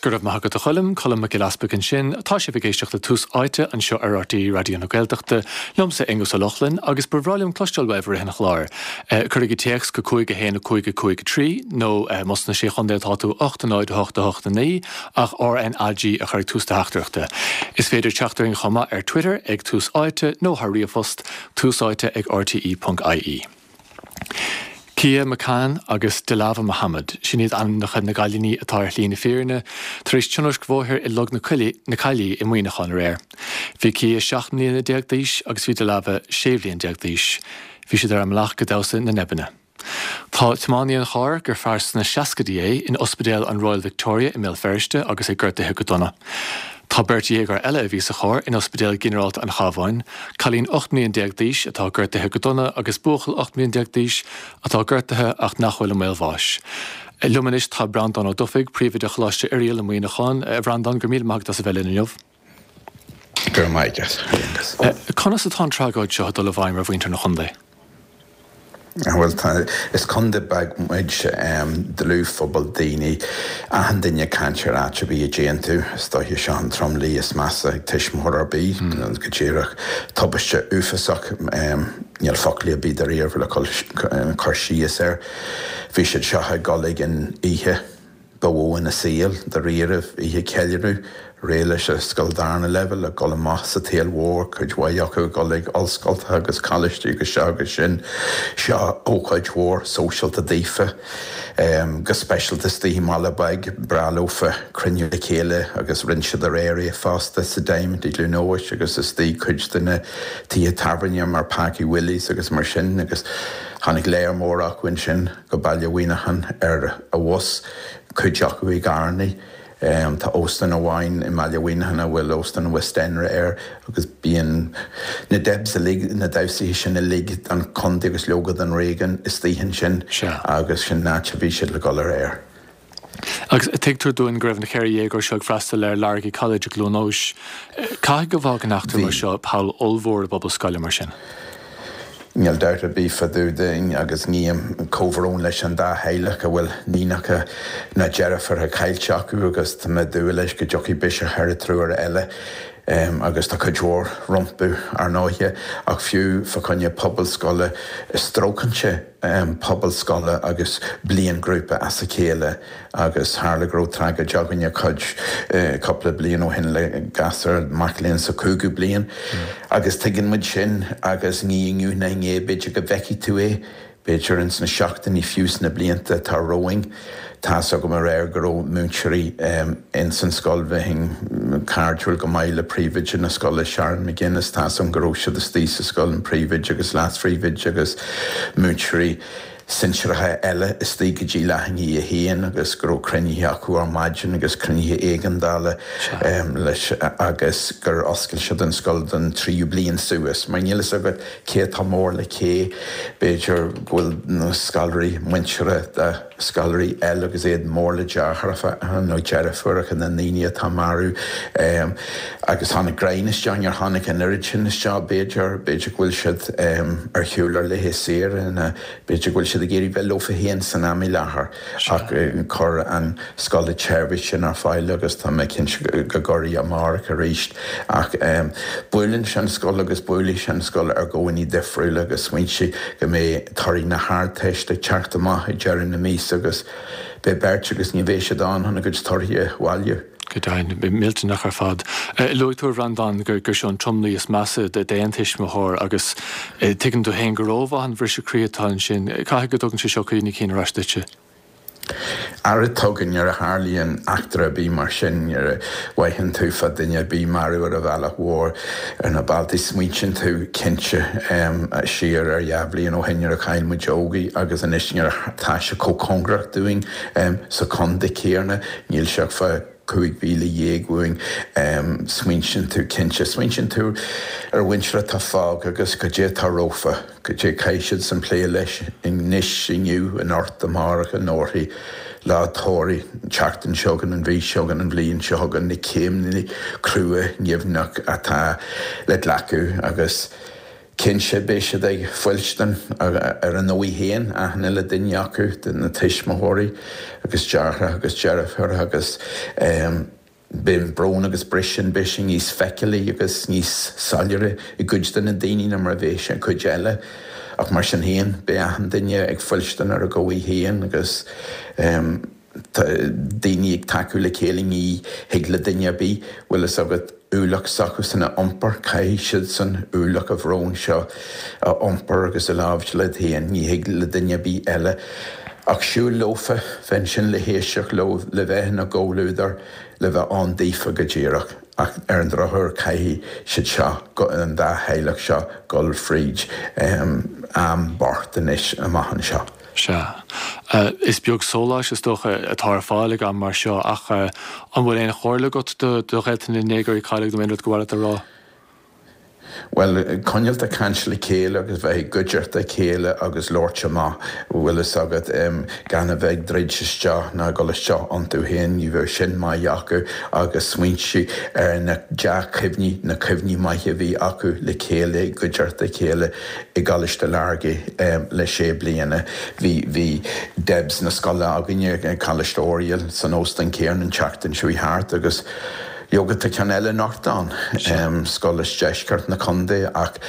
Go raibh maith agat a Choilm, Colm Mac Giolla Easpaig ansin. Tá sibh ag éisteacht le Tús Áite anseo ar RTÉ Raidió na Gaeltachta, liomsa Aonghus Ó Lochlainn, agus ba bhreá liom cloisteáil uaibh i rith an chláir. Cuirigí téacs go 5 1 5 5 3 nó más sna Sé Chontae atá tú 8 0 8 8 9 ach RNAG a chur ag tús do theachtaireachta. Is féidir teacht orainn chomh maith ar Twitter ag Tús Áite nó thar ríomhphost, túsáite ag rte.ie. Kia McCann agus Dilava Mohammed, sin iad ainmneacha na gcailíní atá ar shlí na fírinne tar éis tionóisc bhóthair i Log na Caillí i Muineachán aréir. Bhí Kia 17 mbliana d'aois agus bhí Dilava 16 bhliain d'aois. Bhí siad ar a mbealach go damhsa na nEibeanna. Tá tiománaí an chairr, gur fear sna seascaidí é, in ospidéal an Royal Victoria i mBéal Feirste agus é gortaithe go dona. Tá beirt dhéagóir eile a bhí sa charr in Ospidéal Ginearálta an Chabháin, cailín 18 mbliain d'aois atá gortaithe go dona agus buachaill 18 mbliain d'aois atá gortaithe ach nach bhfuil i mbaol bháis. Liom anois tá Breandán Ó Dufaigh, Príomhoide Choláiste Oiriall i Muineachán. A Bhreandáin, go raibh míle maith agat as a bheith linn inniu. Go raibh maith agat, a Aonghus. Conas atá an tragóid seo ag dul i bhfeidhm ar mhuintir na chontae? Bhuel, tá, is contae beag muid, dlúthphobal daoine, achan duine ag caint ar áit ar bith a dtéann tú. Is dóiche seo an tromluí is measa ag tuismitheoir ar bith, go díreach. Tubaiste uafásach, níl foclaí ar bith dáiríre le cur síos air. Bhí siad seo ag dul ag an oíche. ba mhó ina saol, dáiríre, oíche ceiliúradh, réidh leis an scoil darna leibhéal, ag dul amach sa tsaol mhór, cuid mhaith acu ag dul ag ollscoltacha agus coláistí agus seo agus sin. Seo ócáid mhór sóisialta daofa, go speisialta istigh i mbaile beag, breá leofa cruinniú le chéile agus rinne siad aréir é fosta sa Diamond i gCluain Eois agus istigh cuid de na tithe tábhairne mar Packie Willie's agus mar sin agus tháinig léar mór acu ansin. go Baile Mhuineacháin ar an bhus, cuid acu i gcarrannaí. Tá óstán amháin i mBaile Mhuineacháin a bhfuil Óstán Westenra air agus bíonn na Debs uilig, na damhsaithe sin uilig don chontae agus leoga don réigiún istigh ansin agus sin an áit a bhí siad le dhul aréir. Agus tuigtear dúinn go raibh na 14 dhéagóir seo ag freastal ar Largy College i gCluain Eois. Caithfidh go bhfágann eachtra mar seo poll ollmhór i bpobal scoile mar sin. Níl dabht ar bith fá dtaobh de agus guím comhbhrón leis an dá theaghlach a bhfuil níonacha nó deirfiúracha caillte acu agus tá mé ag dúil leis go dtiocfaidh biseach ar an triúr eile agus tá cuid mhór rompu ar ndóighe ach fiú fá choinne pobal scoile stróiceann sé pobal scoile agus bliainghrúpa as a chéile agus tharla go raibh tragóid againne cuid, cúpla bliain ó shin le gasúr, mac léinn sa chúigiú bliain agus tuigeann muid sin agus ní inniu ná inné b'fhéidir go bhfeicfidh tú é, b'fhéidir ins na seachtainí fiú sna blianta atá romhainn. Tá's agam aréir go raibh múinteoirí ins an scoil, bheinn cairdiúil go maith le príomhoide na scoile Sharon McGuinness, tá's agam go raibh siad istigh sa scoil, an príomhoide agus leas-phríomhoide agus múinteoirí sinsearacha eile istigh go dtí leath i ndiaidh a haon agus go raibh cruinnithe acu ar maidin agus cruinnithe éigeandála leis agus gur oscail siad an scoil don tríú bliain suas mar níl fhios agat cé atá mór le cé, b'fhéidir go bhfuil na scoláirí muinteartha de scoláirí eile agus iad mór le deartháireacha nó deirfiúracha na ndaoine atá marbh agus tháinig greim isteach, níor tháinig an oiread sin isteach b'fhéidir, b'fhéidir go bhfuil siad ar shiúl ar laetha saoire nó b'fhéidir go bhfuil siad ag iarraidh bheith leofa féin san am i láthair ach chuir an scoil an tseirbhís sin ar fáil agus tá mé cinnte go gcuirfidh amárach arís ach buaileann sé an scoil agus buailfidh sé an scoil ar dhóigheanna difriúla agus smaointigh go mbeidh torthaí na hArdteiste ag teacht amach ag deireadh na míosa agus beidh beirt agus ní bheidh siad ann chun a gcuid torthaí a bhailiú. Go deimhin, millteanach ar fad. Luaigh tú, a Bhreandáin, gur seo an tromluí is measa d'aon tuismitheoir agus tuigeann tú féin go rómhaith an bhriseadh croí atá ansin. Caithfidh go dtugann sé seo cuimhní cinn ar ais duitse. Ara tugann, nuair a tharlaíonn eachtra ar bith mar sin, nuair a fhaigheann tú fá duine ar bith marbh ar an bhealach mhór ar na bealtaí, smaointíonn tú cinnte siar ar dhá bhliain ó shin nuair a chaill muid Ógie agus anois nuair atá sé chomh cóngarach dúinn sa chontae céanna, níl sé ach fá 15,000 uainn, smaointíonn tú cinnte, smaointíonn tú ar a mhuintir atá fágtha agus goidé atá rompu, goidé caithfidh siadsan plé leis anois, inniu, anocht, amárach, anórthaidh, lá tórraimh, an tseachtain seo chugainn, an mhí seo chugainn, an bhliain seo chugainn, na céimeanna crua nimhneach atá le glacadh agus. Cinnte, beidh siad ag fuilstin ar a ndóigh féin, achan uile duine acu, na tuismitheoirí agus deartháireacha agus deirfiúracha agus beidh an brón agus briseadh, beidh sé níos feiceálaí agus níos soiléire i gcuid de na daoine ná mar a bheidh sé i gcuid eile. Ach mar sin féin, beidh achan duine ag fuilstin ar a dhóigh féin agus tá daoine ag tacú le chéile, ní thig le duine ar bith, bhfuil fhios agat, ualach s'acusan a iompar, caithfidh siadsan ualach an bhróin seo a iompar agus a láimhseáil iad féin, ní thig le duine ar bith eile ach siúl leofa, bheith ansin le héisteacht leo, le bheith ina gcomhluadar, le bheith ann daofa go díreach. Ach ar an drochuair caithfidh siad seo, an dá theaghlach seo, dul fríd am bocht anois amach anseo. Sea. Is beag sóláis, is dócha, atá ar fáil ag am mar seo, ach an bhfuil aon chomhairle agat do ghaolta na ndéagóirí a cailleadh nó aon rud gur mhaith leat a rá? Bhuel, coinneáilt ag caint le chéile agus bheith i gcuideachta a chéile agus labhairt amach, bhfuil fhios agat, gan a bheith ag druid isteach ná ag dul isteach iontu féin, ní bheadh sin maith acu agus smaointiú ar na dea-chuimhní, na cuimhní maithe a bhí acu le chéile i gcuideachta a chéile. i gColáiste Lurgan le sé bliana. Bhí, bhí Debs na scoile againne ag Coláiste Oiriall san óstán céanna an tseachtain seo thart agus leoga tá ceann eile anocht ann, scoil as deisceart na contae ach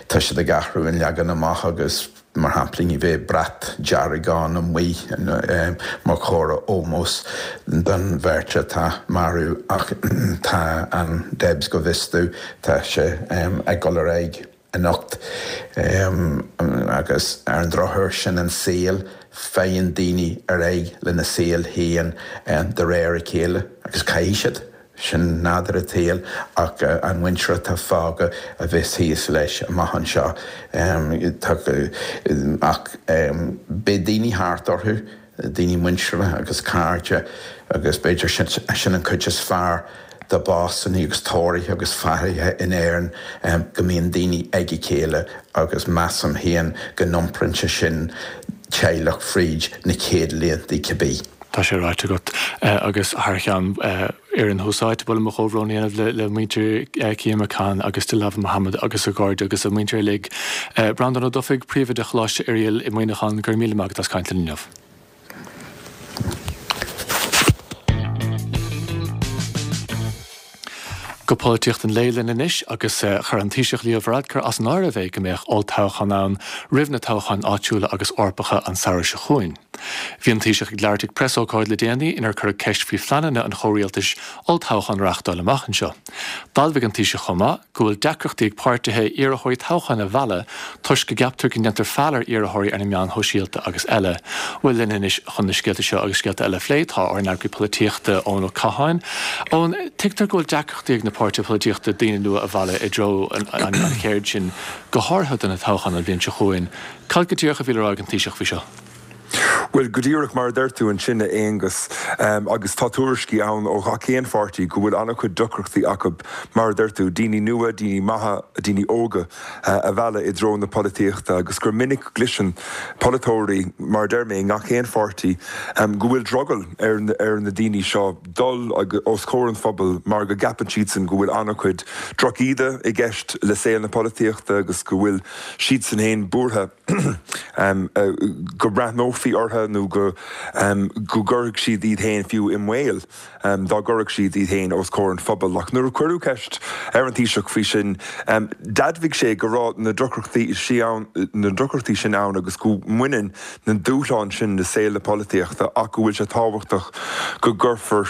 tá siad ag athrú an leagan amach agus mar shampla ní bheidh brat dearg ann amuigh mar chomhartha ómóis don bheirt atá marbh ach tá an Debs go bhfios domh tá sé ag dul ar aghaidh. anocht. Agus ar an drochuair, sin an saol, faigheann daoine ar aghaidh lena saol féin de réir a chéile, agus caithfidh siad. Sin nádúr an tsaoil, ach an mhuintir atá fágtha a bheas thíos leis amach anseo. Ach beidh daoine thart orthu. daoine muinteartha agus cairde agus b'fhéidir sin an chuid is fearr de bhásanna agus tórraimh agus fairithe in Éirinn, go mbíonn daoine ag a chéile agus measaim féin go n-iomprann sé sin teaghlach fríd na chéad laethanta cibé. Tá sé ráite agat agus thar cheann fhoireann Thús Áite, ba mhaith liom mo chomhbhrón a dhéanamh le muintir Cian McCann agus Dilawar Mohammed agus a gcairde agus a muintir uilig. Breandán Ó Dufaigh, Príomhoide Choláiste Oiriall i Muineachán, go raibh míle maith agat as caint linn inniu. Go polaitíocht an lae linn anois agus chuir an Taoiseach Leo Varadkar as an áireamh é go mbeadh olltoghchán ann roimh na toghcháin áitiúla agus Eorpacha an samhradh seo chugainn. Bhí an Taoiseach ag labhairt ag preasócáid le déanaí inar cuireadh ceist faoi phleananna an chomhrialtais olltoghchán a reáchtáil amach anseo. D'admhaigh an Taoiseach chomh maith go bhfuil deacrachtaí ag páirtithe iarrthóirí toghcháin a mhealladh toisc go gceaptar go ndéantar feall ar iarrthóirí ar na meáin shóisialta agus eile. Bhuel, linn anois chun na scéalta seo agus scéalta eile a phlé tá ár n-eagraí polaitíochta, Eoin Ó Catháin. Eoin, tuigtear go bhfuil deacrachtaí ag na páirtithe polaitíochta daoine nua a mhealladh i dtreo an cheird sin, go háirithe do na toghcháin an bhliain seo chugainn. Cad go díreach a bhí le rá ag an Taoiseach faoi seo? Bhuel, go díreach mar a deir tú ansin, a Aonghus, agus tá tuairiscí ann ó gach aon pháirtí go bhfuil an-chuid deacrachtaí acu, mar a deir tú, daoine nua, daoine maithe, daoine óga a mhealladh i dtreo na polaitíochta agus gur minic go gcloiseann polaiteoirí, mar a deir mé, i ngach aon pháirtí, go bhfuil drogall ar na daoine seo dul os comhair an phobail mar go gceapann siadsan go bhfuil an-chuid drochíde i gceist le saol na polaitíochta agus go bhfuil siadsan féin buartha. go mbreathnófaí orthu nó go gcuirfeadh siad iad féin fiú i mbaol dá gcuirfeadh siad iad féin os comhair an phobail. Ach nuair a cuireadh ceist ar an Taoiseach faoi sin, d'admhaigh sé go raibh na deacrachtaí na deacrachtaí sin ann agus go mbaineann na dúshláin sin le saol na polaitíochta ach go bhfuil sé tábhachtach go gcuirfear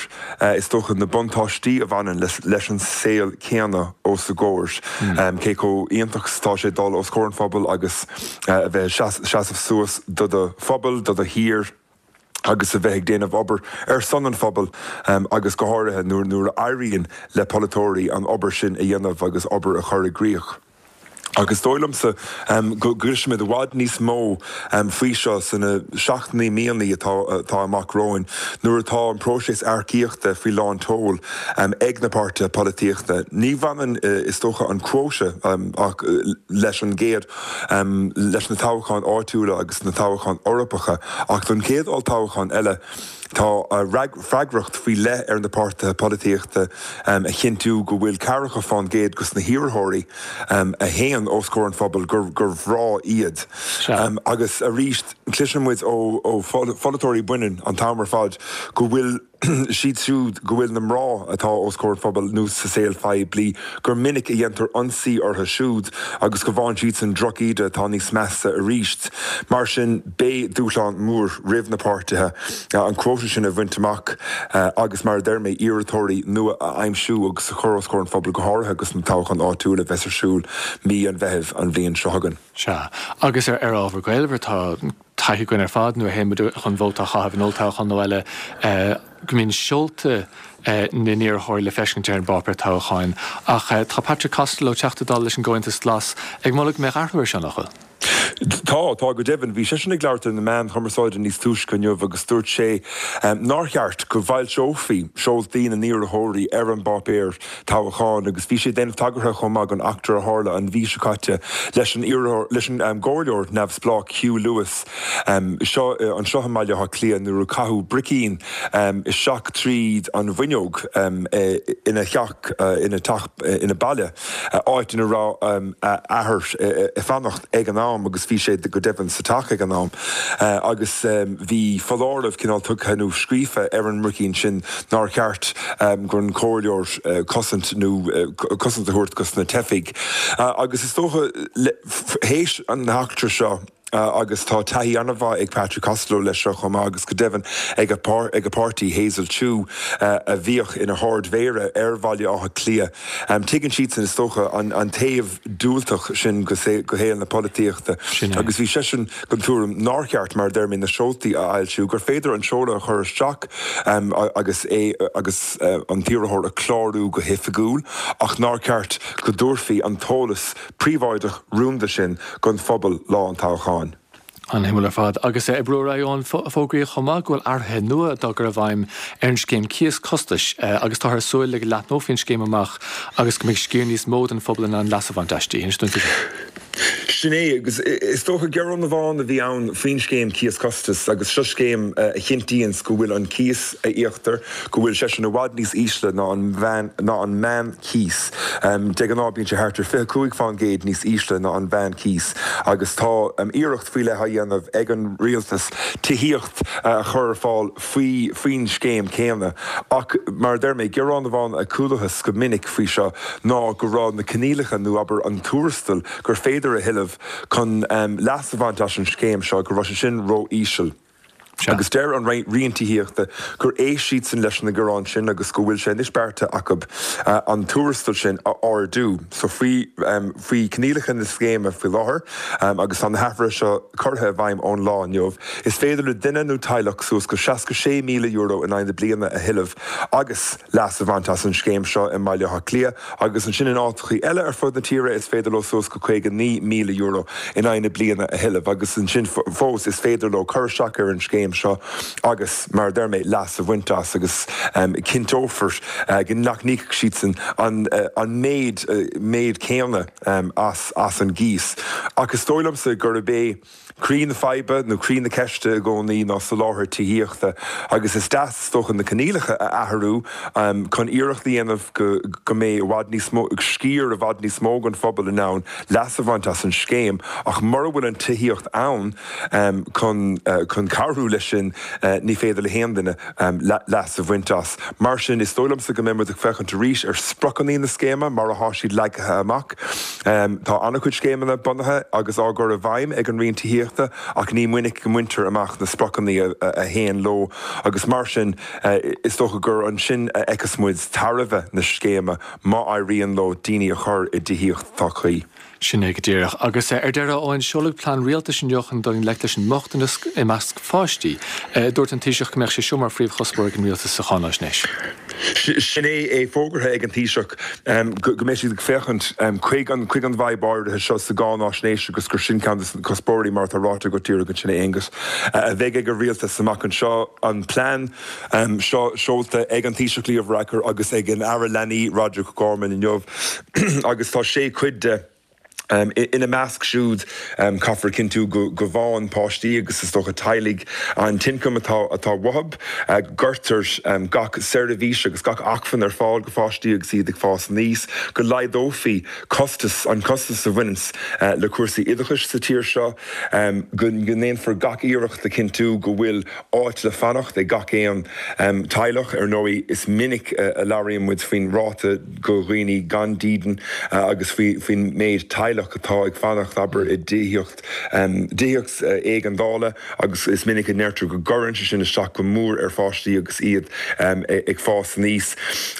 is dócha, na buntáistí a bhaineann leis an saol céanna os a gcomhair, cé chomh iontach is atá sé dul os comhair an phobail agus a bheith ag seasamh suas do do phobal, do do thír agus a bheith ag déanamh obair ar son an phobail agus go háirithe nuair a éiríonn le polaiteoirí an obair sin a dhéanamh agus obair a chur i gcrích. Agus is dóigh liomsa go gcloisfimid i bhfad níos mó faoi seo sna seachtainí, míonna atá amach romhainn nuair atá an próiseas earcaíochta faoi lán tseoil ag na páirtithe polaitíochta. Ní bhaineann, is dócha, an quota ach leis an gcéad, leis na toghcháin áitiúla agus na toghcháin Eorpacha ach don chéad olltoghchán eile. Tá freagracht faoi leith ar na páirtithe polaitíochta a chinntiú go bhfuil ceathracha fán gcéad dos na hiarrthóirí a théann os comhair an phobail gur mná iad. Agus arís, cloiseann muid ó pholaiteoirí baineann an t-am ar fad go bhfuil siad siúd go bhfuil na mná atá os comhair an phobail nó sa saol phoiblí, gur minic a dhéantar ionsaí orthu siúd agus go bhfaigheann siadsan drochíde atá níos measa arís. Mar sin, beidh dúshlán mór roimh na páirtithe an quota sin a bhaint amach agus, mar a deir mé, iarrthóirí nua a aimsiú agus a chur os comhair an phobail, go háirithe agus na toghcháin áitiúla a bheas ar siúl mí an Mheithimh an bhliain seo chugainn. Sea. Agus ar ábhar gaolmhar, tá taithí againn ar fad nuair a théann muid chun vóta a chaitheamh in olltoghchán nó eile, go mbíonn seolta na n-iarrthóirí le feiscint ar an bpáipéar toghcháin. Ach tá Patrick Costello, Teachta Dála leis an gComhaontas Glas, ag moladh go mbeadh athrú air seo, nach bhfuil? Tá, tá go deimhin. Bhí seisean ag labhairt ar na meáin chumarsáide níos túisce inniu agus dúirt sé nár cheart go bhfoilseofaí seoltaí na n-iarrthóirí ar an bpáipéar toghcháin agus bhí sé ag déanamh tagartha chomh maith don eachtra a tharla an mhí seo caite leis an leis an gcomhairleoir neamhspleách Hugh Lewis seo anseo i mBaile Átha Cliath nuair a caitheadh bricín isteach tríd an bhfuinneog ina theach ina teach ina baile. áit ina raibh a athair ag fanacht ag an am agus bhí sé go deimhin sa teach ag an am agus bhí foláireamh cineál tugtha nó scríofa ar an mbricín sin nár cheart don chomhairleoir cosaint nó cosaint a thabhairt dos na teifigh agus is dócha théis an eachtra seo agus tá taithí an-mhaith ag Patrick Costello leis seo chomh maith agus go deimhin ag a páirtí, Hazel Chu, a bhíodh ina hArd-Mhéara ar Bhaile Átha Cliath. Tuigeann siadsan, is dócha, an taobh diúltach sin de shaol na polaitíochta agus bhí seisean den tuairim nár cheart, mar a deir mé, na seoltaí a fhoilsiú, gur féidir an seoladh a chur isteach agus é agus an t-iarrthóir a chlárú go hoifigiúil ach nár cheart go dtabharfaí an t-eolas príobháideach rúnda sin don phobal lá an toghcháin. An-shuimiúil ar fad. Agus ag brú ar aghaidh, fógraíodh chomh maith go bhfuil athruithe nua dá gcur i bhfeidhm ar an scéim cíos costais agus táthar ag súil le go leathnófaí an scéim amach agus go mbeidh sciar níos mó den phobal in ann leas a bhaint aisti. Inis dúinn faoi seo. Sin é, agus is dócha gearán amháin a bhí ann faoin scéim cíos costais agus seo scéim a chinntíonns go bhfuil an cíos a íoctar, go bhfuil seisean i bhfad níos ísle ná an ná an meán-chíos. De ghnáth bíonn sé thart ar 25 fán gcéad níos ísle ná an mheán-chíos agus tá iarracht faoi leith á dhéanamh ag an rialtas tithíocht a chur ar fáil faoi faoin scéim céanna. Ach mar a deir mé, gearán amháin a chualathas go minic faoi seo ná go raibh na coinníollacha nó abair an tuarastal gur féidir a thuilleamh chun leas a bhaint as an scéim seo, go raibh sé sin ró-íseal. Agus deir an Roinn Tithíochta gur éist siadsan leis na gearáin sin agus go bhfuil sé anois beartaithe acu an tuarastal sin a ardú. So faoi faoi choinníollacha na scéime faoi láthair, agus tá na hathruithe seo curtha i bhfeidhm ón lá inniu, is féidir le duine nó teaghlach suas go €66,000 in aghaidh na bliana a thuilleamh agus leas a bhaint as an scéim seo i mBaile Átha Cliath agus ansin in áiteachaí eile ar fud na tíre is féidir leo suas go €59,000 in aghaidh na bliana a thuilleamh agus ansin fós is féidir leo cur isteach ar an scéim seo agus, mar a deir mé, leas a bhaint as agus cinnteofar go nach n-íocfaidh siadsan an méid méid céanna as as an gcíos. Ach is dóigh liomsa gurb é Croí na faidhbe nó croí na ceiste i gcónaí ná soláthar tithíochta agus is deas is dócha na coinníollacha a athrú chun iarracht a dhéanamh go go mbeidh i bhfad níos mó, sciar i bhfad níos mó den phobal in ann leas a bhaint as an scéim ach mura bhfuil an tithíocht ann chun chun cabhrú leis sin ní féidir le haon duine leas a bhaint as. Mar sin, is dóigh liomsa go mbeidh muid ag féachaint arís ar spriocanna na scéime mar atá siad leagtha amach. Tá an-chuid scéimeanna bunaithe agus á gcur i bhfeidhm ag an Roinn Tithíochta ach ní minic go mbaintear amach na spriocanna a théann leo agus mar sin, is dócha gur ansin a fheicfeas muid tairbhe na scéime má éiríonn leo daoine a chur i dtithíocht atá cuí. Sin é go díreach. Agus ar deireadh, a Eoin, seoladh plean rialtais inniu chun dul i ngleic leis an mbochtanas i measc pháistí. Dúirt an Taoiseach go mbeadh sé seo mar phríomhchuspóir ag an rialtas sa cháináisnéis. Sin é, é fógartha ag an Taoiseach go mbeidh siad ag féachaint chuig an chuig an bhfadhb áirithe seo sa gcáináisnéis agus gur sin ceann de na cuspóirí, mar atá ráite agat díreach ansin, a Aonghus, a bheidh ag an rialtas amach anseo. An plean seo seolta ag an Taoiseach Leo Varadkar agus ag an Aire Leanaí Roderic O'Gorman inniu agus tá sé chuid de. Ina measc siúd, caithfear cinntiú go bhfaigheann páistí agus is dócha teaghlaigh an t-ioncam atá atá uathu, go gcuirtear gach seirbhís agus gach acmhainn ar fáil go pháistí agus iad ag fás aníos, go laghdófaí costas, an costas a bhaineanns le cúrsaí oideachais sa tír seo, go ndéanfar gach iarracht le cinntiú go bhfuil áit le fanacht ag gach aon teaghlach. Ar ndóigh, is minic a labhraíonn muid faoin ráta go dhaoine gan dídean agus faoin méid teaghlach atá ag fanacht, abair, i dtithíocht, tithíocht éigeandála agus is minic a ndeirtear go gcuireann sé sin isteach go mór ar pháistí agus iad ag fás aníos.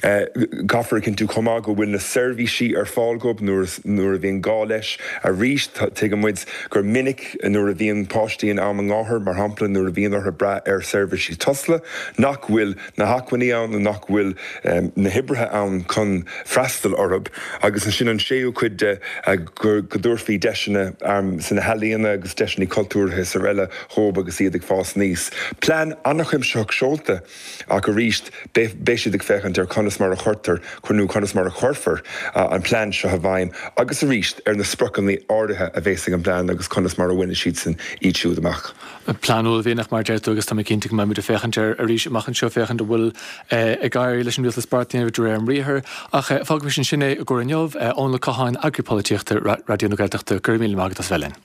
Caithfear a chinntiú chomh maith go bhfuil na seirbhísí ar fáil dhóibh nuair a bhíonn gá leis. Arís, tuigeann muid gur minic nuair a bhíonn páistí in am an gháthair, mar shampla, nuair a bhíonn orthu brath ar sheirbhísí Tusla, nach bhfuil na hacmhainní ann nó nach bhfuil na hoibrithe ann chun freastal orthu. Agus ansin an séú cuid de, go dtabharfaí deiseanna sna healaíona agus deiseanna cultúrtha is araile dhóibh agus iad ag fás aníos. Plean an-chuimsitheach seolta ach arís beidh siad ag féachaint ar conas mar a chuirtear nó conas mar a chuirfear an plean seo i bhfeidhm agus arís ar na spriocanna áirithe a bheas ag an bplean agus conas mar a bhainfidh siadsan iad siúd amach. Plean uaillmhianach, mar a deir tú, agus tá mé cinnte go mbeidh muid ag féachaint air arís amach anseo, féachaint an bhfuil ag éirí leis an rialtas beart a dhéanamh de réir a mbriathair. Ach fágaimis ansin é i gcomhair inniu. Eoin Ó Catháin, Eagraí Polaitíochta Raidió na Gaeltachta, go raibh míle maith agat as bheith linn.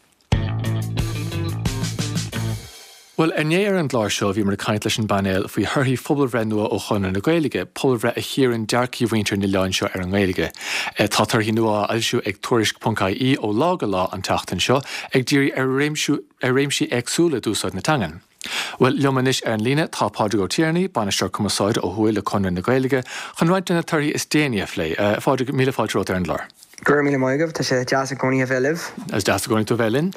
Bhuel, inné ar an gclár seo bhíomar ag caint leis an bpainéal faoi thorthaí phobalbhreith nua ó Chonradh na Gaeilge, pobalbhreith a chíorann dearcaí mhuintir an oileáin seo ar an nGaeilge. Tá torthaí nua á fhoilsiú ag Tuairisc.ie ó lá go lá an tseachtain seo, ag díriú ar ar réimsí éagsúla d'úsáid na teangan. Bhuel, liom anois ar an líne tá Pádraig Ó Tiarnaigh, Bainisteoir Cumarsáide ó thuaidh le Conradh na Gaeilge, chun roinnt de na torthaí is déanaí a phlé. A Phádraig, míle fáilte romhat ar an gclár. Go raibh míle maith agaibh, tá sé deas i gcónaí a bheith libh. Is deas i gcónaí tú a bheith linn.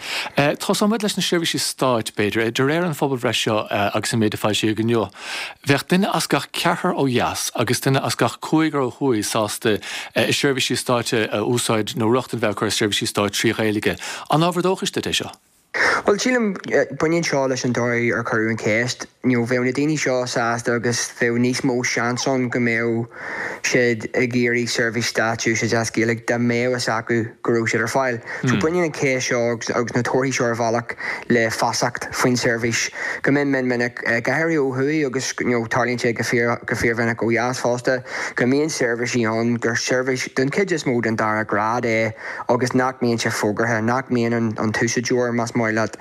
Tosóimid leis na seirbhísí stáit, b'fhéidir. De réir an phobalbhreith seo agus an méid a foilsíodh inniu, bheadh duine as gach ceathrar ó dheas agus duine as gach cúigear ó thuaidh sásta seirbhísí stáit a úsáid nó rochtain a bheith acu ar sheirbhísí stáit trí Ghaeilge. An ábhar dóchais duit é seo? Bhuel, sílim, baineann seo leis an dóigh ar cuireadh an cheist. You know, bheadh na daoine seo sásta agus bheadh níos mó seans ann go mbeadh siad ag iarraidh seirbhís stáit a úsáid as Gaeilge dá mbeadh fhios acu go raibh siad ar fáil. So baineann an cheist seo agus agus na torthaí seo ar bhealach le feasacht faoin seirbhís. Go mion mion minic, go háirithe ó thuaidh agus you know, tarlaíonn sé go fíor go fíormhinic ó dheas fosta, go mbíonn seirbhísí ann gur seirbhís den chuid is mó den dara grád é agus nach mbíonn sé fógartha, nach mbíonn an t-úsáideoir, más maith leat,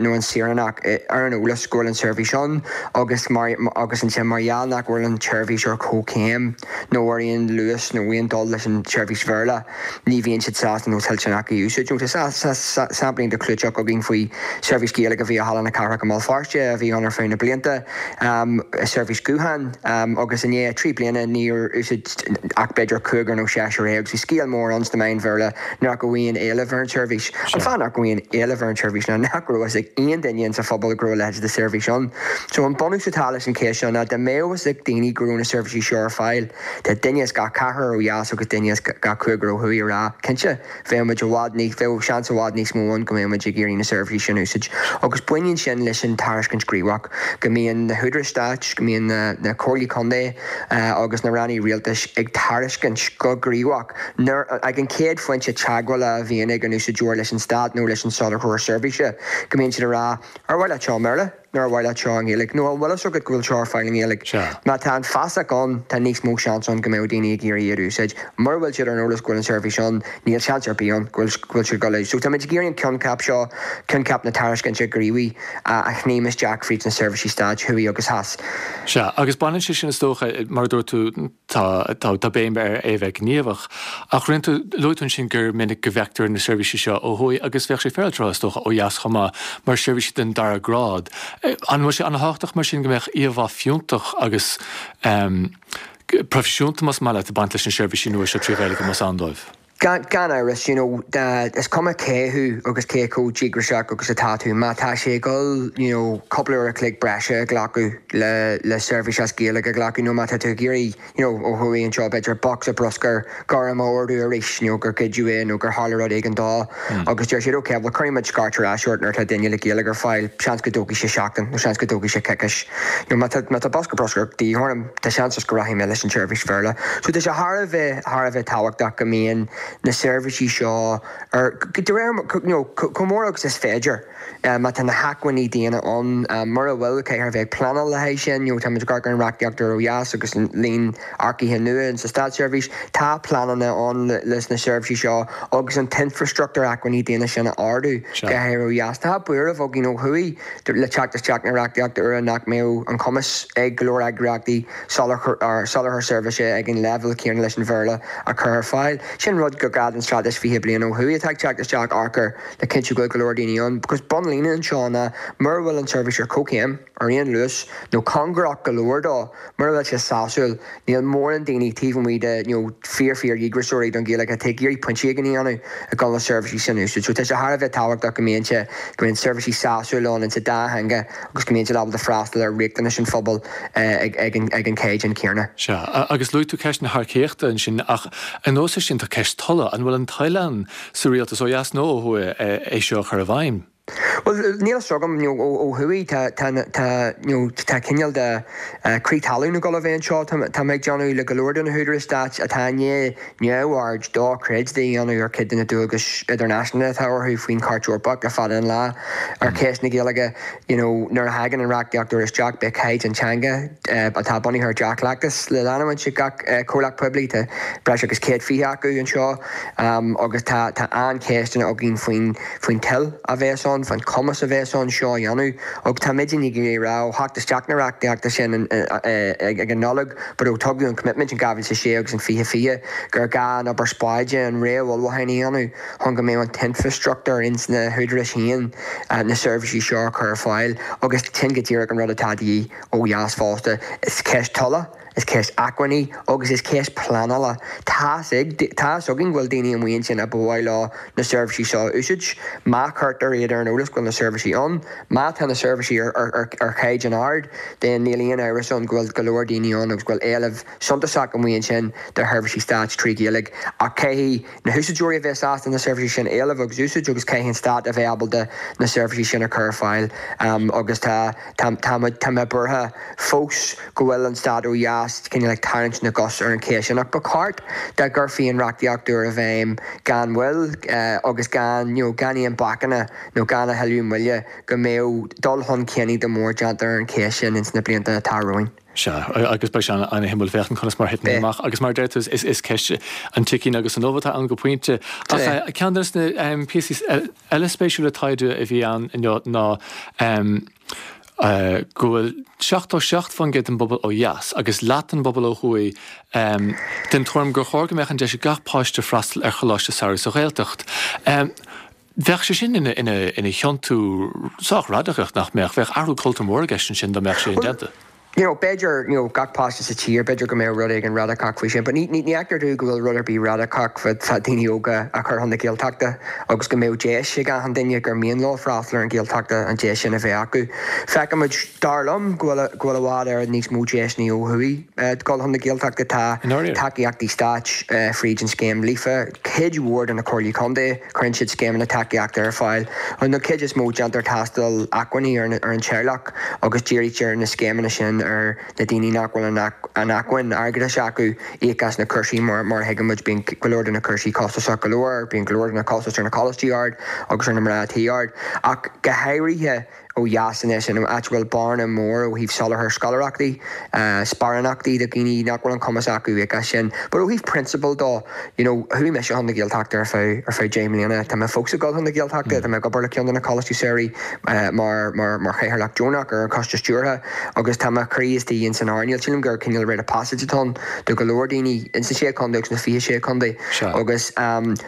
nó an saoránach ar an eolas go bhfuil an tseirbhís ann agus mar agus ansin mar gheall nach bhfuil an tseirbhís ar comhchéim nó ar aon luas nó aon dul leis an tseirbhís Bhéarla, ní bhíonn siad sásta nó toilteanach í a úsáid. Nó tá sampla iontach clúiteach againn faoi sheirbhís Ghaeilge a bhí i Halla na Cathrach i mBéal Feirste a bhí ann ar feadh na blianta. seirbhís gutháin agus i ndiaidh 3 bliana níor úsáid ach b'fhéidir cúigear nó seisear é agus bhí scéal mór ann sna meáin Bhéarla nach raibh aon éileamh ar an tseirbhís. An fáth nach raibh aon éileamh ar an tseirbhís ná nach raibh fhios ag aon duine insa phobal go raibh a leithéid de sheirbhís ann. So an bunús atá leis an cheist seo ná dá mbeadh fhios ag daoine go raibh na seirbhísí seo ar fáil, tá duine as gach ceathrar ó dheas agus duine as gach cúigear ó thuaidh ag rá, cinnte, Bheadh muid i bhfad níos, bheadh seans i bhfad níos mó ann go mbeadh muid ag iarraidh na seirbhísí sin a úsáid. Agus baineann sin leis an tairiscint ghníomhach, go mbíonn na húdaráis stáit, go mbíonn na comhairlí contae agus na rannaí rialtais ag tairiscint go gníomhach nuair, ag an chéad phointe teagmhála a bhíonn ag an úsáideoir leis an stát nó leis an soláthróir seirbhíse, go mbíonn siad ag rá, ar mhaith leat seo i mBéarla? Nó ar mhaith leat seo i nGaeilge? Nó an bhfuil fhios agat go bhfuil seo ar fáil i nGaeilge? Sea. Má tá an feasacht ann, tá níos mó seans ann go mbeadh daoine ag iarraidh iad a úsáid. Mura bhfuil siad ar an eolas go bhfuil an seirbhís ann, níl seans ar bith ann go bhfuil go bhfuil siad ag dul a. So táimid ag iarraidh an coincheap seo, coincheap na tairiscinte gníomhaí, a shníomh isteach fríd na seirbhísí stáit, thuaidh agus theas. Sea, agus baineann sé sin is dócha, mar a dúirt tú, Tá, tá béim ar é a bheith gníomhach. Ach rinne tú, luaigh tú ansin gur minic go bhfeictear na seirbhísí seo ó thuaidh agus bheadh sé féaráilte a rá, is dócha, ó dheas chomh maith, mar seirbhísí den dara grád. An bhfuil sé an-thábhachtach mar sin go mbeadh íomhá fiúntach agus proifisiúnta, más maith leat, ag baint leis na seirbhísí nua seo 3 Ghaeilge, más ann dóibh? Gan amhras, you know, is cuma cé thú agus cé chomh díograiseach agus atá tú, má tá sé ag dul, you know, cúpla uair a chloig breise a ghlacadh le le seirbhís as Gaeilge a ghlacadh nó má tá tú ag iarraidh, you know, ó thuaidh anseo b'fhéidir bocsa bruscair gorm a ordú arís, you know, gur goideadh é nó gur tharla rud éigin dó agus deir siad ok, bhuel cuirfidh muid scairt ar ais ort nuair atá duine le Gaeilge ar fáil, seans go dtógfaidh sé seachtain nó seans go dtógfaidh sé coicís. You know, má tá má tá bosca bruscair de dhíth orm, Tá seans is go rachaidh mé leis an tseirbhís Bhéarla. So tá sé thar a bheith, thar a bheith tábhachtach go mbíonn. na seirbhísí seo ar, de réir, you know, chomh mór agus is féidir, má tá na hacmhainní daonna ann. Mura bhfuil, caithfear a bheith ag pleanáil le haghaidh sin. You know, táimid ag amharc ar an reachtaíocht úr ó dheas agus an líon earcaithe nua in sa státseirbhís. Tá pleananna ann leis na seirbhísí seo agus an t-infreastruchtúr acmhainní daonna sin a ardú, go háirithe ó dheas. Tá buaireamh againn ó thuaidh le teacht isteach na reachtaíochta úire nach mbeadh an cumas ag go leor eagraíochtaí soláthar seirbhíse ag an leibhéal céanna leis an Bhéarla a chur ar fáil. Sin rud gur gá don Straitéis 20 Bliain ó thuaidh atá ag teacht isteach amharc air le cinntiú go bhfuil go leor daoine ann. Because bunlíne anseo ná mura bhfuil an tseirbhís ar comhchéim, ar aon luas, nó cóngarach go leor dó, mura bhfuil sé sásúil, níl mórán daoine taobh amuigh de you know fíor fíor dhíograiseoirí don Ghaeilge atá ag iarraidh pointe éigin a dhéanamh ag dul na seirbhísí sin a úsáid. So tá sé thar a bheith tábhachtach go mbíonn sé, go mbíonn seirbhísí sásúil ann insa dá theanga agus go mbíonn siad ábalta freastal ar riachtanais an phobail ag an ag an caighdeán céanna. Sea, agus luaigh tú ceist na hearcaíochta ansin ach anuas air sin tá ceist tola. An bhfuil an toil ann sa rialtas ó dheas nó ó thuaidh é seo a chur i bhfeidhm? Bhuel, níl a fhios agam, you know, ó thuaidh tá, tá, tá, you know, tá cineál de crith talún ag dul a bheith anseo, tá mé ag déanamh, le go leor de na húdaráis stáit atá i ndiaidh neamhaird dochreidte a dhéanamh ar chuid de na dualgais idirnáisiúnta atá orthu faoin Chairt Eorpach le fada an lá ar cheist na Gaeilge. You know, nuair a thagann an reachtaíocht úr isteach beidh caighdeán teanga atá bunaithe ar dea-chleachtas le leanúint ag gach comhlacht poiblí, tá breis agus 120 acu anseo, agus tá, tá an-cheisteanna againn faoin, faoin toil a bheas ann, faoin chumas a bheas ann seo a dhéanamh agus tá muid ag iarraidh a rá ó theacht isteach na reachtaíochta sin ag an Nollaig but ó tugadh an commitment in 2006 agus in 2020 gur gá an obair spáide, an réamhullmhúcháin a dhéanamh chun go mbeadh an t-infreastruchtúr ins na húdaráis féin na seirbhísí seo a chur ar fáil agus sin go díreach an rud atá de dhíth ó dheas fosta. Is ceist tola. Is ceist acmhainní agus is ceist pleanála. Tá's ag, tá's againn go bhfuil daoine amuigh ansin a ba mhaith leo na seirbhísí seo a úsáid. Má chuirtear iad ar an eolas go bhfuil na seirbhísí ann, má tá na seirbhísí ar, ar, ar chaighdeán ard, then níl aon amhras ann go bhfuil go leor daoine ann agus go bhfuil éileamh suntasach amuigh ansin do sheirbhísí stáit trí Ghaeilge. Ach caithfidh na húsáideoirí a bheith sásta na seirbhísí sin a éileamh agus úsáid agus caithfidh an stát a bheith ábalta na seirbhísí sin a chur ar fáil agus tá, tá, tá, tá mé buartha fós go bhfuil an stát ó dheas cineál ag tarraingt na gcos ar an cheist sin ach ba cheart dá gcuirfí an reachtaíocht úr i bhfeidhm gan mhoill agus gan, you know, gan aon bacanna nó gan a thuilleadh moille go mbeadh dul chun cinn iontach mór déanta ar an cheist sin ins na blianta atá romhainn. Sea, agus beidh sé an-shuimiúil féachaint conas mar a thiteann amach agus mar a deir tú is ceist an tsicín agus an ubh atá ann go pointe. Ach ceann de na píosaí eile spéisiúla taighde a bhí ann inniu ná go bhfuil 77% den bpobal ó dheas agus leath den bpobal ó thuaidh den tuairim gur chóir go mbeadh an deis ag gach páiste freastal ar choláiste samhraidh sa Ghaeltacht. Bheadh sé sin ina thiontú sách radacach, nach mbeadh? Bheadh athrú cultúir mór i gceist ansin dá mbeadh sé indéanta. You know, b'fhéidir, you know, gach páiste sa tír, b'fhéidir go mbeadh rud éigin radacach faoi sin, but ní, ní, ní fheictear domh go bhfuil rud ar bith radacach fá, fá daoine óga a chur chun na Gaeltachta agus go mbeadh deis ag achan duine gur mian leo freastal ar an Ghaeltachta an deis sin a bheith acu. Feicimid, dar liom, go bhfuil, go bhfuil i bhfad Éireann níos mó deiseanna ó thuaidh dul chun na Gaeltachta. Tá tacaíochtaí stáit fríd an scéim Líofa, cuid mhór de na comhairlí contae, Cuireann siad scéimeanna tacaíochta ar fáil. An chuid is mó, déantar tástáil acmhainní ar an teaghlach agus dírítear na scéimeanna sin ar na daoine nach bhfuil an acmhainn airgeadais acu íoc as na cúrsaí. Mar a thuigimid, bíonn go leor de na cúrsaí costasach go leor, bíonn go leor de na costais ar na coláistí ard agus ar na mná tí ard. Ach go háirithe, ó dheas anois, in áit a bhfuil bearna mór ó thaobh soláthar scoláireachtaí, sparánachtaí do dhaoine nach bhfuil an cumas acu íoc as sin. But ó thaobh prionsabail dó, you know, chuaigh mise chun na Gaeltachta ar feadh, ar feadh 10 mbliana, tá mé fós ag dul chun na Gaeltachta, tá mé ag obair le ceann de na coláistí samhraidh mar, mar, mar chathaoirleach deonach ar an choiste stiúrtha agus tá mo chroí istigh ins an earnáil. Sílim gur cineál rite of passage atá ann do go leor daoine ins na Sé Chontae agus na 26 Contae agus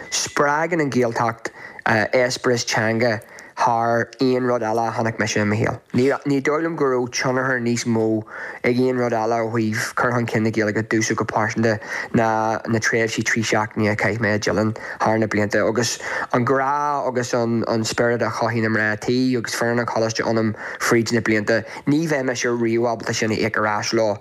spreagann an Ghaeltacht eispéireas teanga thar aon rud eile a chonaic mise i mo shaol. Ní dóigh liom go raibh tionchar níos mó ag aon rud eile ó thaobh cur chun cinn na Gaeilge domhsa go pearsanta ná na tréimhsí 3 seachtaine a chaith mé i dTeileann thar na blianta agus an grá agus an spiorad a chothaigh na mná tí agus foireann an choláiste ionam fríd na blianta. Ní bheidh mise riamh ábalta sin a íoc ar ais leo.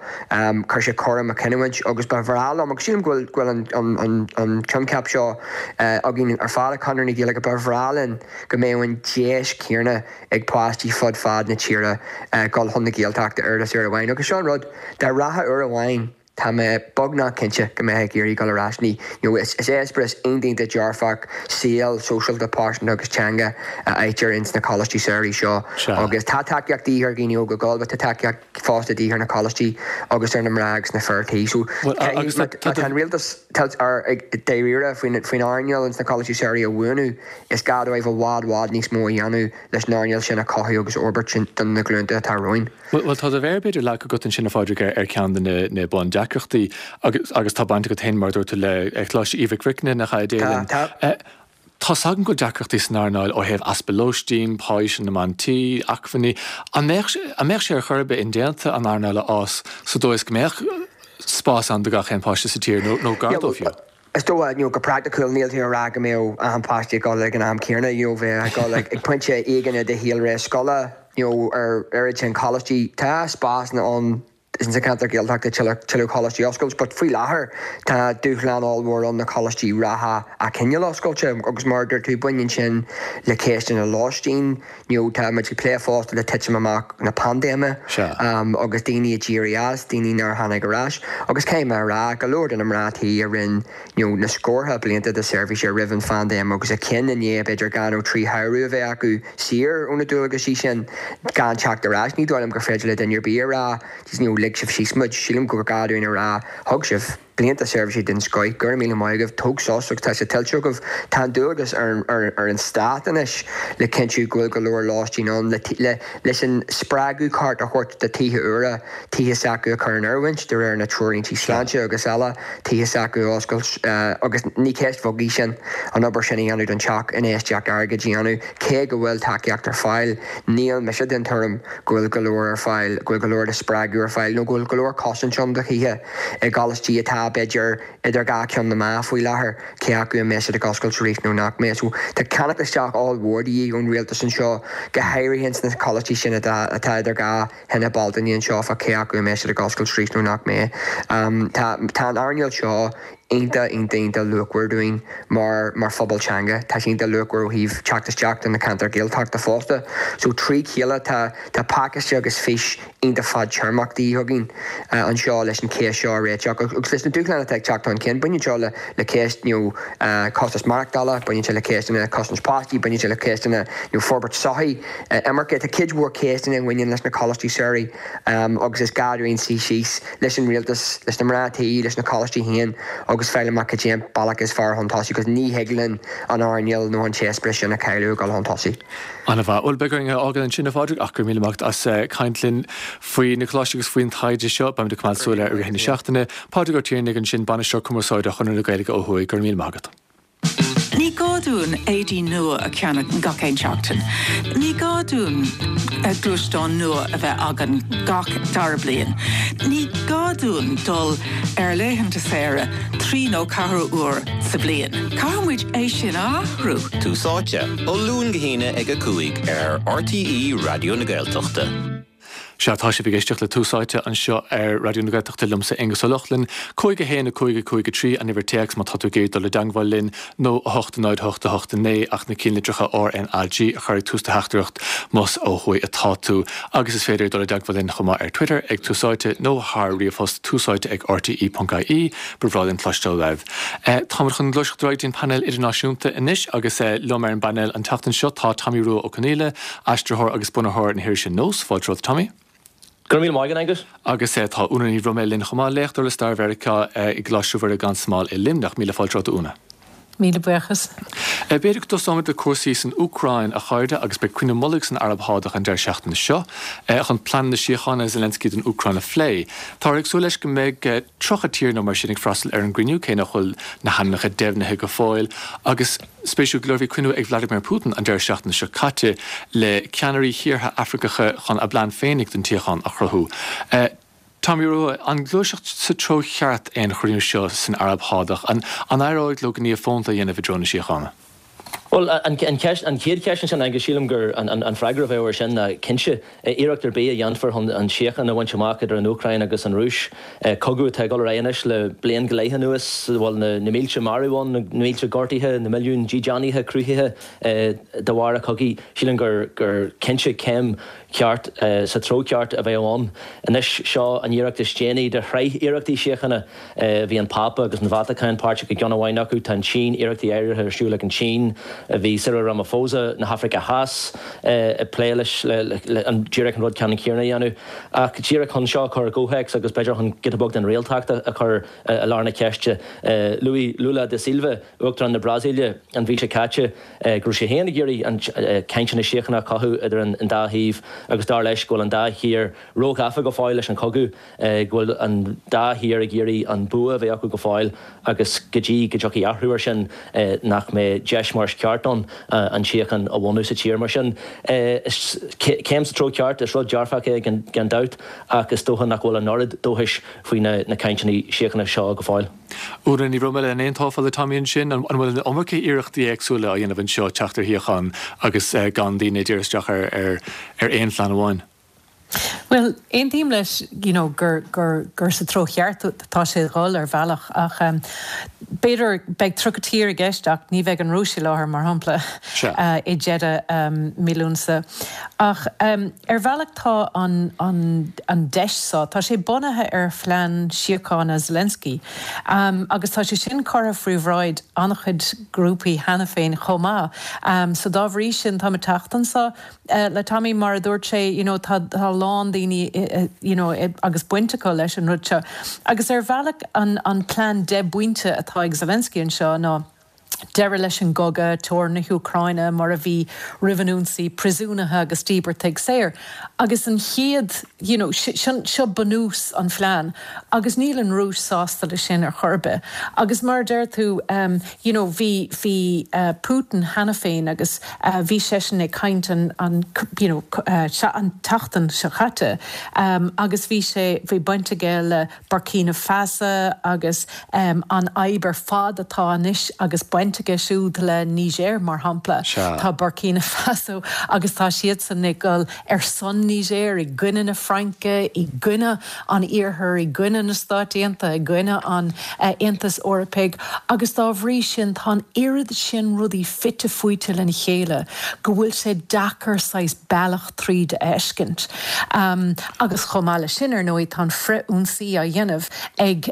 Chuir sé cor i mo chinniúint agus ba bhreá liom, agus sílim go bhfuil an coincheap seo againn ar fad i Conradh na Gaeilge, ba bhreá linn go mbeadh an deis chéanna ag páistí fud fad na tíre dul chun na Gaeltachta oiread is uair amháin. Agus seo an rud, dá rachfá uair amháin. Tá mé beagnach cinnte go mbeifeá ag iarraidh dul ar ais. Ní, you know, is eispéireas iontach iontach dearfach, saol sóisialta, pearsanta agus teanga a fhaightear ins na coláistí samhraidh seo. Agus tá tacaíocht de dhíth ar dhaoine óga dul, but tá tacaíocht fosta de dhíth ar na coláistí agus ar na mná agus na fir tí. So, má tá an rialtas dáiríre faoin earnáil ins na coláistí samhraidh a bhuanú, is gá dóibh i bhfad, bhfad níos mó a dhéanamh leis an earnáil sin a chothú agus a fhorbairt do na glúnta atá romhainn. Bhuel, tá do mhéar, b'fhéidir, leagtha agat ansin, a Phádraig, ar cheann de na bundeacrachtaí agus agus tá baint agat féin, mar a dúirt tú, le Coláiste Aoidh Mhic Bhricne, nach ea, a Déileann? Tá, tá. Tá's agam go bhfuil deacrachtaí san earnáil ó thaobh easpa lóistín, páí na mban tí, acmhainní. An mbeadh, an mbeadh sé ar chor ar bith indéanta an earnáil a fhás sa dóigh is go mbeadh spás ann do gach aon pháiste sa tír, nó gar dó fiú? Is dócha, you know, go praiticiúil, níl tú ag rá go mbeadh achan páiste ag dul ag an am céanna, you know, bheith ag dul ag pointe éigin i do shaolré scoile, you know, ar oiread sin coláistí. Tá spásanna ann sa cheantar Gaeltachta tuilleadh, tuilleadh coláistí a oscailt, but faoi láthair tá dúshlán ollmhór ann na coláistí reatha a choinneáil oscailte agus mar a dúirt tú, baineann sin le ceisteanna lóistín, You know, tá muid ag plé fosta le titim amach na paindéime agus daoine a d'éirigh as, daoine nár tháinig ar ais. Agus caithfidh mé a rá, go leor de na mná tí a rinne you know, na scórtha blianta de seirbhíse roimh an phaindéim agus a chinn i ndiaidh b'fhéidir dhá nó trí shamhradh a bheith acu saor ó na dualgaisí sin gan teacht ar ais. Ní dóigh liom gur féidir le duine ar bith a rá, you know, lig sibh síos muid. Sílim gur gá dúinn a rá, thug sibh. Blianta seirbhíse den scoith, go raibh míle maith agaibh, tóg sos agus tá sé tuillte agaibh. Tá an dualgas ar an stát anois le cinntiú go bhfuil go leor lóistín ann, le leis an spreagadh ceart a thabhairt do tithe úra, tithe s'acu a chur in oiriúint de réir na treoirlíntí sláinte agus eile, tithe s'acu a oscailt agus ní ceist bheag í sin, an obair sin a dhéanamh don teach, infheistíocht airgid a dhéanamh. Cé go bhfuil tacaíocht ar fáil, níl mise den tuairim go bhfuil go leor ar fáil, go bhfuil go leor de spreagadh ar fáil nó go bhfuil go leor cosaint ann do thithe i gcoláistí atá, b'fhéidir, idir dhá cheann na meá faoi láthair, cé acu an mbeidh siad ag oscailt arís nó nach mbeidh. So, tá ceannacht isteach ollmhór de dhíth ón rialtas anseo, go háirithe ins na coláistí sin atá atá idir dhá thine Bealtaine anseo fá cé acu an mbeidh siad ag oscailt arís nó nach mbeidh. Tá tá an earnáil seo iontach, iontach, iontach luachmhar dúinn mar, mar phobal teanga. Tá sé iontach luachmhar ó thaobh teacht isteach do na ceantair Ghaeltachta fosta. So trí chéile tá, tá pacáiste agus fís iontach fadtéarmach de dhíth againn anseo leis an cheist seo a réiteach agus leis na dúshláin atá ag teacht chun cinn. Baineann seo le, le ceist you know costas maireachtála, baineann sé le ceisteanna cosaint páistí, baineann sé le ceisteanna you know forbairt sochaí, imirce. Tá cuid mhór ceisteanna a bhaineann leis na coláistí samhraidh agus is gá dúinn suí síos leis an rialtas, leis na mná tí, leis na coláistí féin agus fáil amach cad é an bealach is fearr chun tosaigh agus ní thig linn an earnáil nó an t-eispéireas sin a chailleadh ag dul chun tosaigh. An-mhaith. Bhuel, beidh orainn é a fhágáil ansin, a Phádraig, ach go raibh míle maith agat as caint linn faoi na coláistí agus faoin taighde seo. Beimid ag coimeád súil air i rith na seachtaine. Pádraig Ó Tiarnaigh ansin, Bainisteoir Cumarsáide Chonradh na Gaeilge ó thuaidh. Go raibh míle maith agat. Ní gá dúinn éadaí nua a cheannach gach aon seachtain. Ní gá dúinn gluaisteán nua a bheith againn gach dara bliain. Ní gá dúinn dul ar laethanta saoire trí nó ceathair uair sa bhliain. Caithfidh muid é sin a athrú. Tús Áite, ó Luan go hAoine ag 5 ar RTÉ Raidió na Gaeltachta. Sea, tá sibh ag éisteacht le Tús Áite anseo ar Raidió na Gaeltachta liomsa Aonghus Ó Lochlainn. 5 1 5 5 3 an uimhir téacs má tá tú ag iarraidh dul i dteangmháil linn nó 8 0 8 8 9 ach na cinnlitreacha RnaG a chur ag tús do theachtaireacht más ó thuaidh atá tú. Agus is féidir dul i dteagmháil linn chomh maith ar Twitter ag Tús Áite nó thar ríomhphost túsáite ag rte.ie. Ba bhreá linn cloisteáil uaibh. Táimid chun gluaiseacht ar aghaidh dtí an painéal idirnáisiúnta anois agus liom ar an bpainéal an tseachtain seo tá Tommy Rua Ó Conghaile, Aistritheoir agus bunaitheoir na hirise Nós, fáilte romhat Tommy. Go raibh míle maith agat, Aengus. Agus tá Úna Ní Bhroiméil linn chomh maith, léachtóir le Stair Mheiriceá i gColáiste Mhuire gan Smál i Luimneach. Míle fáilte romhat a Úna. Míle buíochas. B'fhéidir go dtosóimid le cúrsaí san Úcráin, a chairde, agus beidh cruinniú mullaigh san Araib Shádach an deireadh seachtaine seo chun pleananna síochána Zelensky don Úcráin a phlé. Táthar ag súil leis go mbeidh 30 tír nó mar sin ag freastal ar an gcruinniú, cé nach bhfuil na hainmneacha deimhnithe go fóill, agus. Spéisiúil go leor, bhí cruinniú ag Vladimir Putin an deireadh seachtaine seo caite le ceannairí thíortha Afracacha chun a bplean féinig don tsíocháin a chruthú. Tommy Rua, an gluaiseacht sa treo cheart é an chruinniú seo san Araib Shádach? An éireoidh leo gníomh fónta a dhéanamh i dtreo na síochána? Bhuel, an cheist, an chéad cheist ansin, Aengus, sílim gur an freagra a bheadh air sin ná cinnte. Iarracht ar bith a dhéanfar chun an tsíocháin a bhaint amach idir an Úcráin agus an Rúis, cogadh atá ag dul ar aghaidh anois le bliain go leith anuas, a bhfuil na mílte marbh ann, na mílte gortaithe, na milliúin dídeánaithe cruthaithe de bharr an chogaidh, sílim gur cinnte céim. ceart, sa treo ceart a bheadh ann. Anois, seo an iarracht is déanaí de shraith iarrachtaí síochána. Bhí an Pápa agus an Vatacáin páirteach i gceann amháin acu, tá an tSín, iarrachtaí áirithe ar siúl ag an tSín, bhí Cyril Ramaphosa na hAfraice Theas ag plé leis, le an díreach an rud ceannann céanna a dhéanamh. Ach díreach chun seo a chur i gcomhthéacs agus b'fhéidir chun giota beag den réaltacht a chur i lár na ceiste, luaigh Lula da Silva, Uachtarán na Brasaíle, an mhí seo caite go raibh sé féin ag iarraidh an cainteanna síochána a chothú idir an dá thaobh agus dar leis go bhfuil an dá thír róghafa go fóill leis an chogadh. go bhfuil an dá thír ag iarraidh an bua a bheith acu go fóill agus go dtí go dtiocfaidh athrú air sin nach mbeidh deis mar is ceart ann an tsíocháin a bhunú sa tír. Mar sin, is céim sa treo ceart, is rud dearfach é gan dabht ach is dócha nach bhfuil an oiread dóchais faoi na cainteanna síochána seo go fóill. Úna Ní Bhroiméil, an aontófá le Tommy ansin? An bhfuil an iomarca iarrachtaí éagsúla á dhéanamh anseo teacht ar shíocháin agus gan daoine ag díriú isteach ar aon phlean amháin? Bhuel, aontaím leis you know gur, gur, gur sa treo cheart atá sé a dhul ar bhealach ach b'fhéidir, beidh 30 tír i gceist ach ní bheidh an Rúis i láthair mar shampla i deireadh mí Lúnasa. Ach ar bhealach tá an, an, an deis seo, tá sé bunaithe ar phlean síochána Zelensky agus tá sé sin curtha faoi bhráid an-chuid grúpaí cheana féin chomh maith. So dá bhrí sin táim ag teacht anseo le Tommy, mar a dúirt sé, you know, tá a lán daoine, you know, agus baint acu leis an rud seo. Agus ar bhealach an an plean 10 bpointe atá ag Zelensky anseo ná deireadh leis an gcogadh, teorainn na hÚcráine mar a bhí roimh an ionsaí, príosúnaithe agus díbeartaigh saor. Agus an chéad, you know, sin, seo bunús an phlean. Agus níl an Rúis sásta leis sin ar chor ar bith. Agus mar a deir tú, you know, bhí, bhí Putin cheana féin agus bhí seisean ag caint an, an, you know, an tseachtain seo caite agus bhí sé, bhí baint aige le Burkina Faso agus an fhadhb ar fad atá anois agus baint aige siúd le Niger mar shampla. Tá Burkina Faso agus tá siadsan ag dul ar son Niger, i gcoinne na Fraince, i gcoinne an Iarthair, i gcoinne na Stáit Aontaithe, i gcoinne an Aontais Eorpaigh agus dá bhrí sin tá an oiread sin rudaí fite fuaite lena chéile go bhfuil sé deacair saghas bealach tríd a fheiscint. Agus chomh maith leis sin, ar ndóigh, tá an frith-ionsaí á dhéanamh ag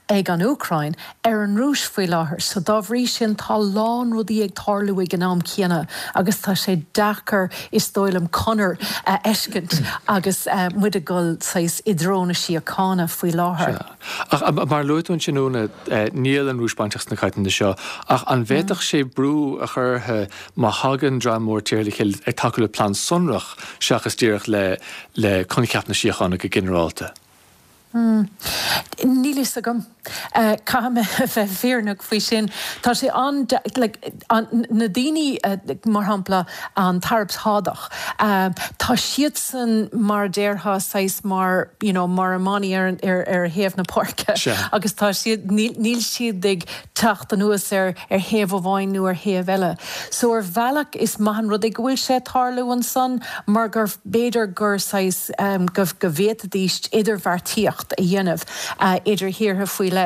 ag an Úcráin ar an Rúis faoi láthair. So dá bhrí sin tá a lán rudaí ag tarlú ag an am céanna agus tá sé deacair is dóigh liom conair a fheiscint agus muid ag dul saghas i dtreo na síochána faoi láthair. Sea. Ach mar a luaigh tú ansin Úna, níl an Rúis bainteach sna cainteanna seo ach an bhféadfadh sé brú a chur uirthi má thagann dream mór tíortha le chéile ag tacú le plean sonrach seachas díreach le le coincheap na síochána go ginearálta? Níl fhios agam. Caithfidh mé a bheith fírinneach faoi sin. Tá sé an, like, na daoine, mar shampla, an tAraib Shádach, tá siadsan, mar a déarfá, saghas mar, you know, mar iománaí ar, ar, ar thaobh na páirce agus tá siad, níl, níl siad ag teacht anuas ar, ar thaobh amháin nó ar thaobh eile. So ar bhealach is maith an rud é go bhfuil sé ag tarlú ansan mar gur b'fhéidir gur saghas go go bhféadfaidís idirbheartaíocht a dhéanamh idir thíortha faoi leith.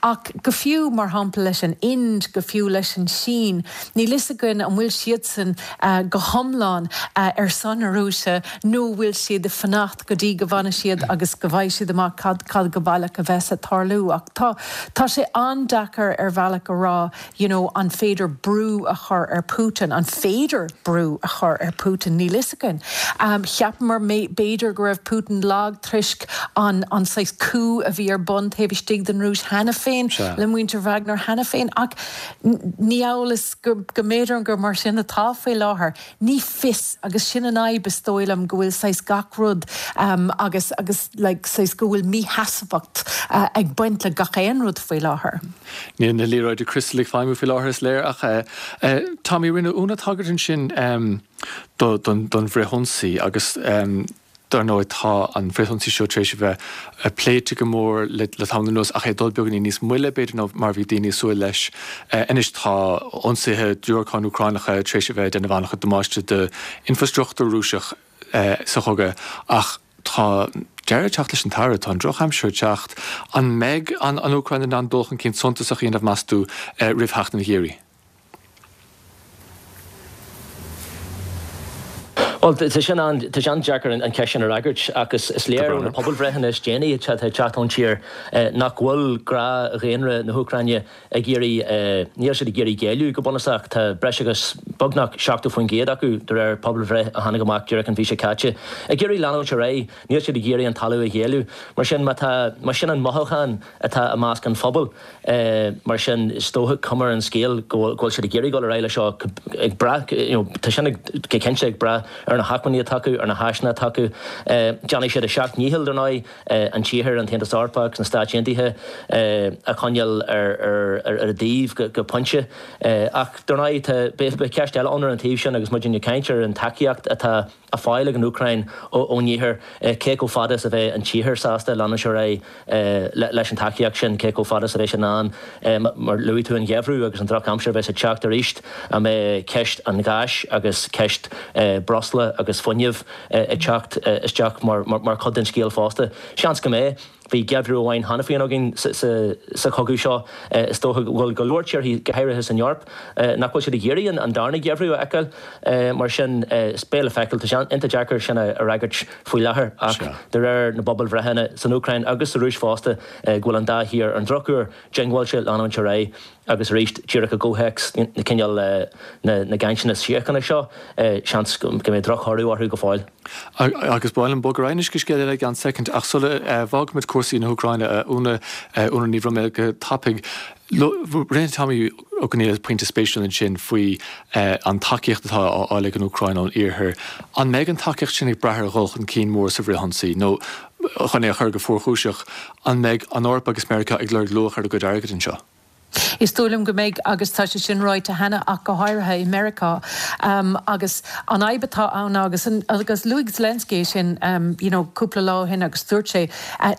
Ach go fiú mar shampla leis an Ind, go fiú leis an Sín, níl fhios againn an bhfuil siadsan go hiomlán ar son na Rúise nó an bhfuil siad ag fanacht go dtí go bhfanfaidh siad agus go bhfaighidh siad amach cad cad go baileach a bheas ag tarlú. Ach tá tá sé an-deacair ar bhealach a rá you know an féidir brú a chur ar Putin, an féidir brú a chur ar Putin, níl fhios againn. Cheapamar b'fhéidir go raibh Putin lag toisc an an saghas coup a bhí ar bun taobh istigh den Rúis cheana féin le muintir Wagner cheana féin ach ní amhail is go go mb'fhéidir gur mar sin atá faoi láthair. Ní fios agus sin an fhadhb is dóigh liom go bhfuil saghas gach rud agus agus like saghas go bhfuil mísheasmhacht ag baint le gach aon rud faoi láthair. Níl na liathróidí criostail ag feidhmiú faoi láthair is léir ach Tommy rinne Úna tagairt ansin don don bhfrithionsaí agus Dar ndóigh, tá an frithionsaí seo tar éis a bheith pléite go mór le tamall anuas, ach é ag dul beagáinín níos moille, b'fhéidir, ná mar a bhí daoine ag súil leis. Anois tá ionsaithe diúracáin Úcránacha tar éis a bheith ag déanamh an-chuid damáiste d'infreastruchtúr Rúiseach sa chogadh, ach tá deireadh ag teacht leis an tsamhradh, tá an drochaimsir ag teacht. An mbeidh an Úcráin in ann dul chun cinn suntasach a dhéanamh, meas tú, roimh theacht an gheimhridh? Bhuel, tá sin an, tá sé an-deacair an cheist sin a fhreagairt ach is léir ó na pobalbhreitheanna is déanaí atá ag teacht ón tír nach bhfuil gnáthdhaonra na hÚcráine ag iarraidh, níl siad ag iarraidh géilleadh go bunúsach. Tá breis agus beagnach 70% acu, de réir pobalbhreith a tháinig amach díreach an mhí seo caite, ag iarraidh leanúint ar aghaidh, níl siad ag iarraidh an talamh a ghéilleadh. Mar sin, má tá, má sin an mothúchán atá i measc an phobail, Mar sin, is dócha, cuma ar an scéal, go bhfuil siad ag iarraidh dul ar aghaidh leis seo, ag brath, you know, tá sin go cinnte ag brath ar na hacmhainní atá acu, ar na háiseanna atá acu. Déanfaidh siad a seacht ndícheall, dar ndóigh, an tIarthar, an tAontas Eorpach agus na Stáit Aontaithe a choinneáil ar a dtaobh go pointe. Ach, dar ndóigh, tá, beidh ceist eile ann ar an taobh sin agus muid ag caint ar an tacaíocht atá á fáil ag an Úcráin ón Iarthar, cé chomh fada is a bheidh an tIarthar sásta leanúint ar aghaidh leis an tacaíocht sin, cé chomh fada is a bheidh siad in ann, mar luaigh tú an geimhreadh agus an drochaimsir a bheas ag teacht arís, an mbeidh ceist an gháis agus ceist breosla agus fuinnimh ag teacht isteach mar chuid den scéal fosta? Seans go mbeidh. Bhí geimhreadh amháin cheana féin againn sa chogadh seo. Is dócha go bhfuil go leor tíortha, go háirithe san Eoraip, nach bhfuil siad ag iarraidh an darna geimhreadh a fheiceáil. Mar sin, beidh le feiceáil. Tá sé iontach deacair sin a fhreagairt faoi láthair ach de réir na bpobalbhreitheanna san Úcráin agus sa Rúis fosta go bhfuil an dá thír ar an drochuair diongbháilte leanúint ar aghaidh agus arís díreach i gcomhthéacs na cineál na gcainteanna síochána seo seans go mbeidh drochthoradh orthu go fóill. Agus ba mhaith liom bogadh ar aghaidh anois go scéal eile i gceann soicind ach sula bhfágfaimid cúrsaí na hÚcráine a Úna, Úna Ní Bhroiméil go tapaidh. Rinne Tommy Ó Conghaile pointe spéisiúil ansin faoi an tacaíocht atá á fháil ag an Úcráin ón Iarthar. An mbeidh an tacaíocht sin ag brath ar dhul chun cinn mór sa bhfrithionsaí nó, chun é a chur go fuarchúiseach, an mbeidh an Eoraip agus Meiriceá ag lorg luach ar a gcuid airgid anseo? Is dóigh liom go mbeidh, agus tá sé sin ráite cheana ach go háirithe i Meiriceá. Agus an fhadhb atá ann ná, agus agus luaigh Zelensky é sin you know cúpla lá ó shin agus dúirt sé,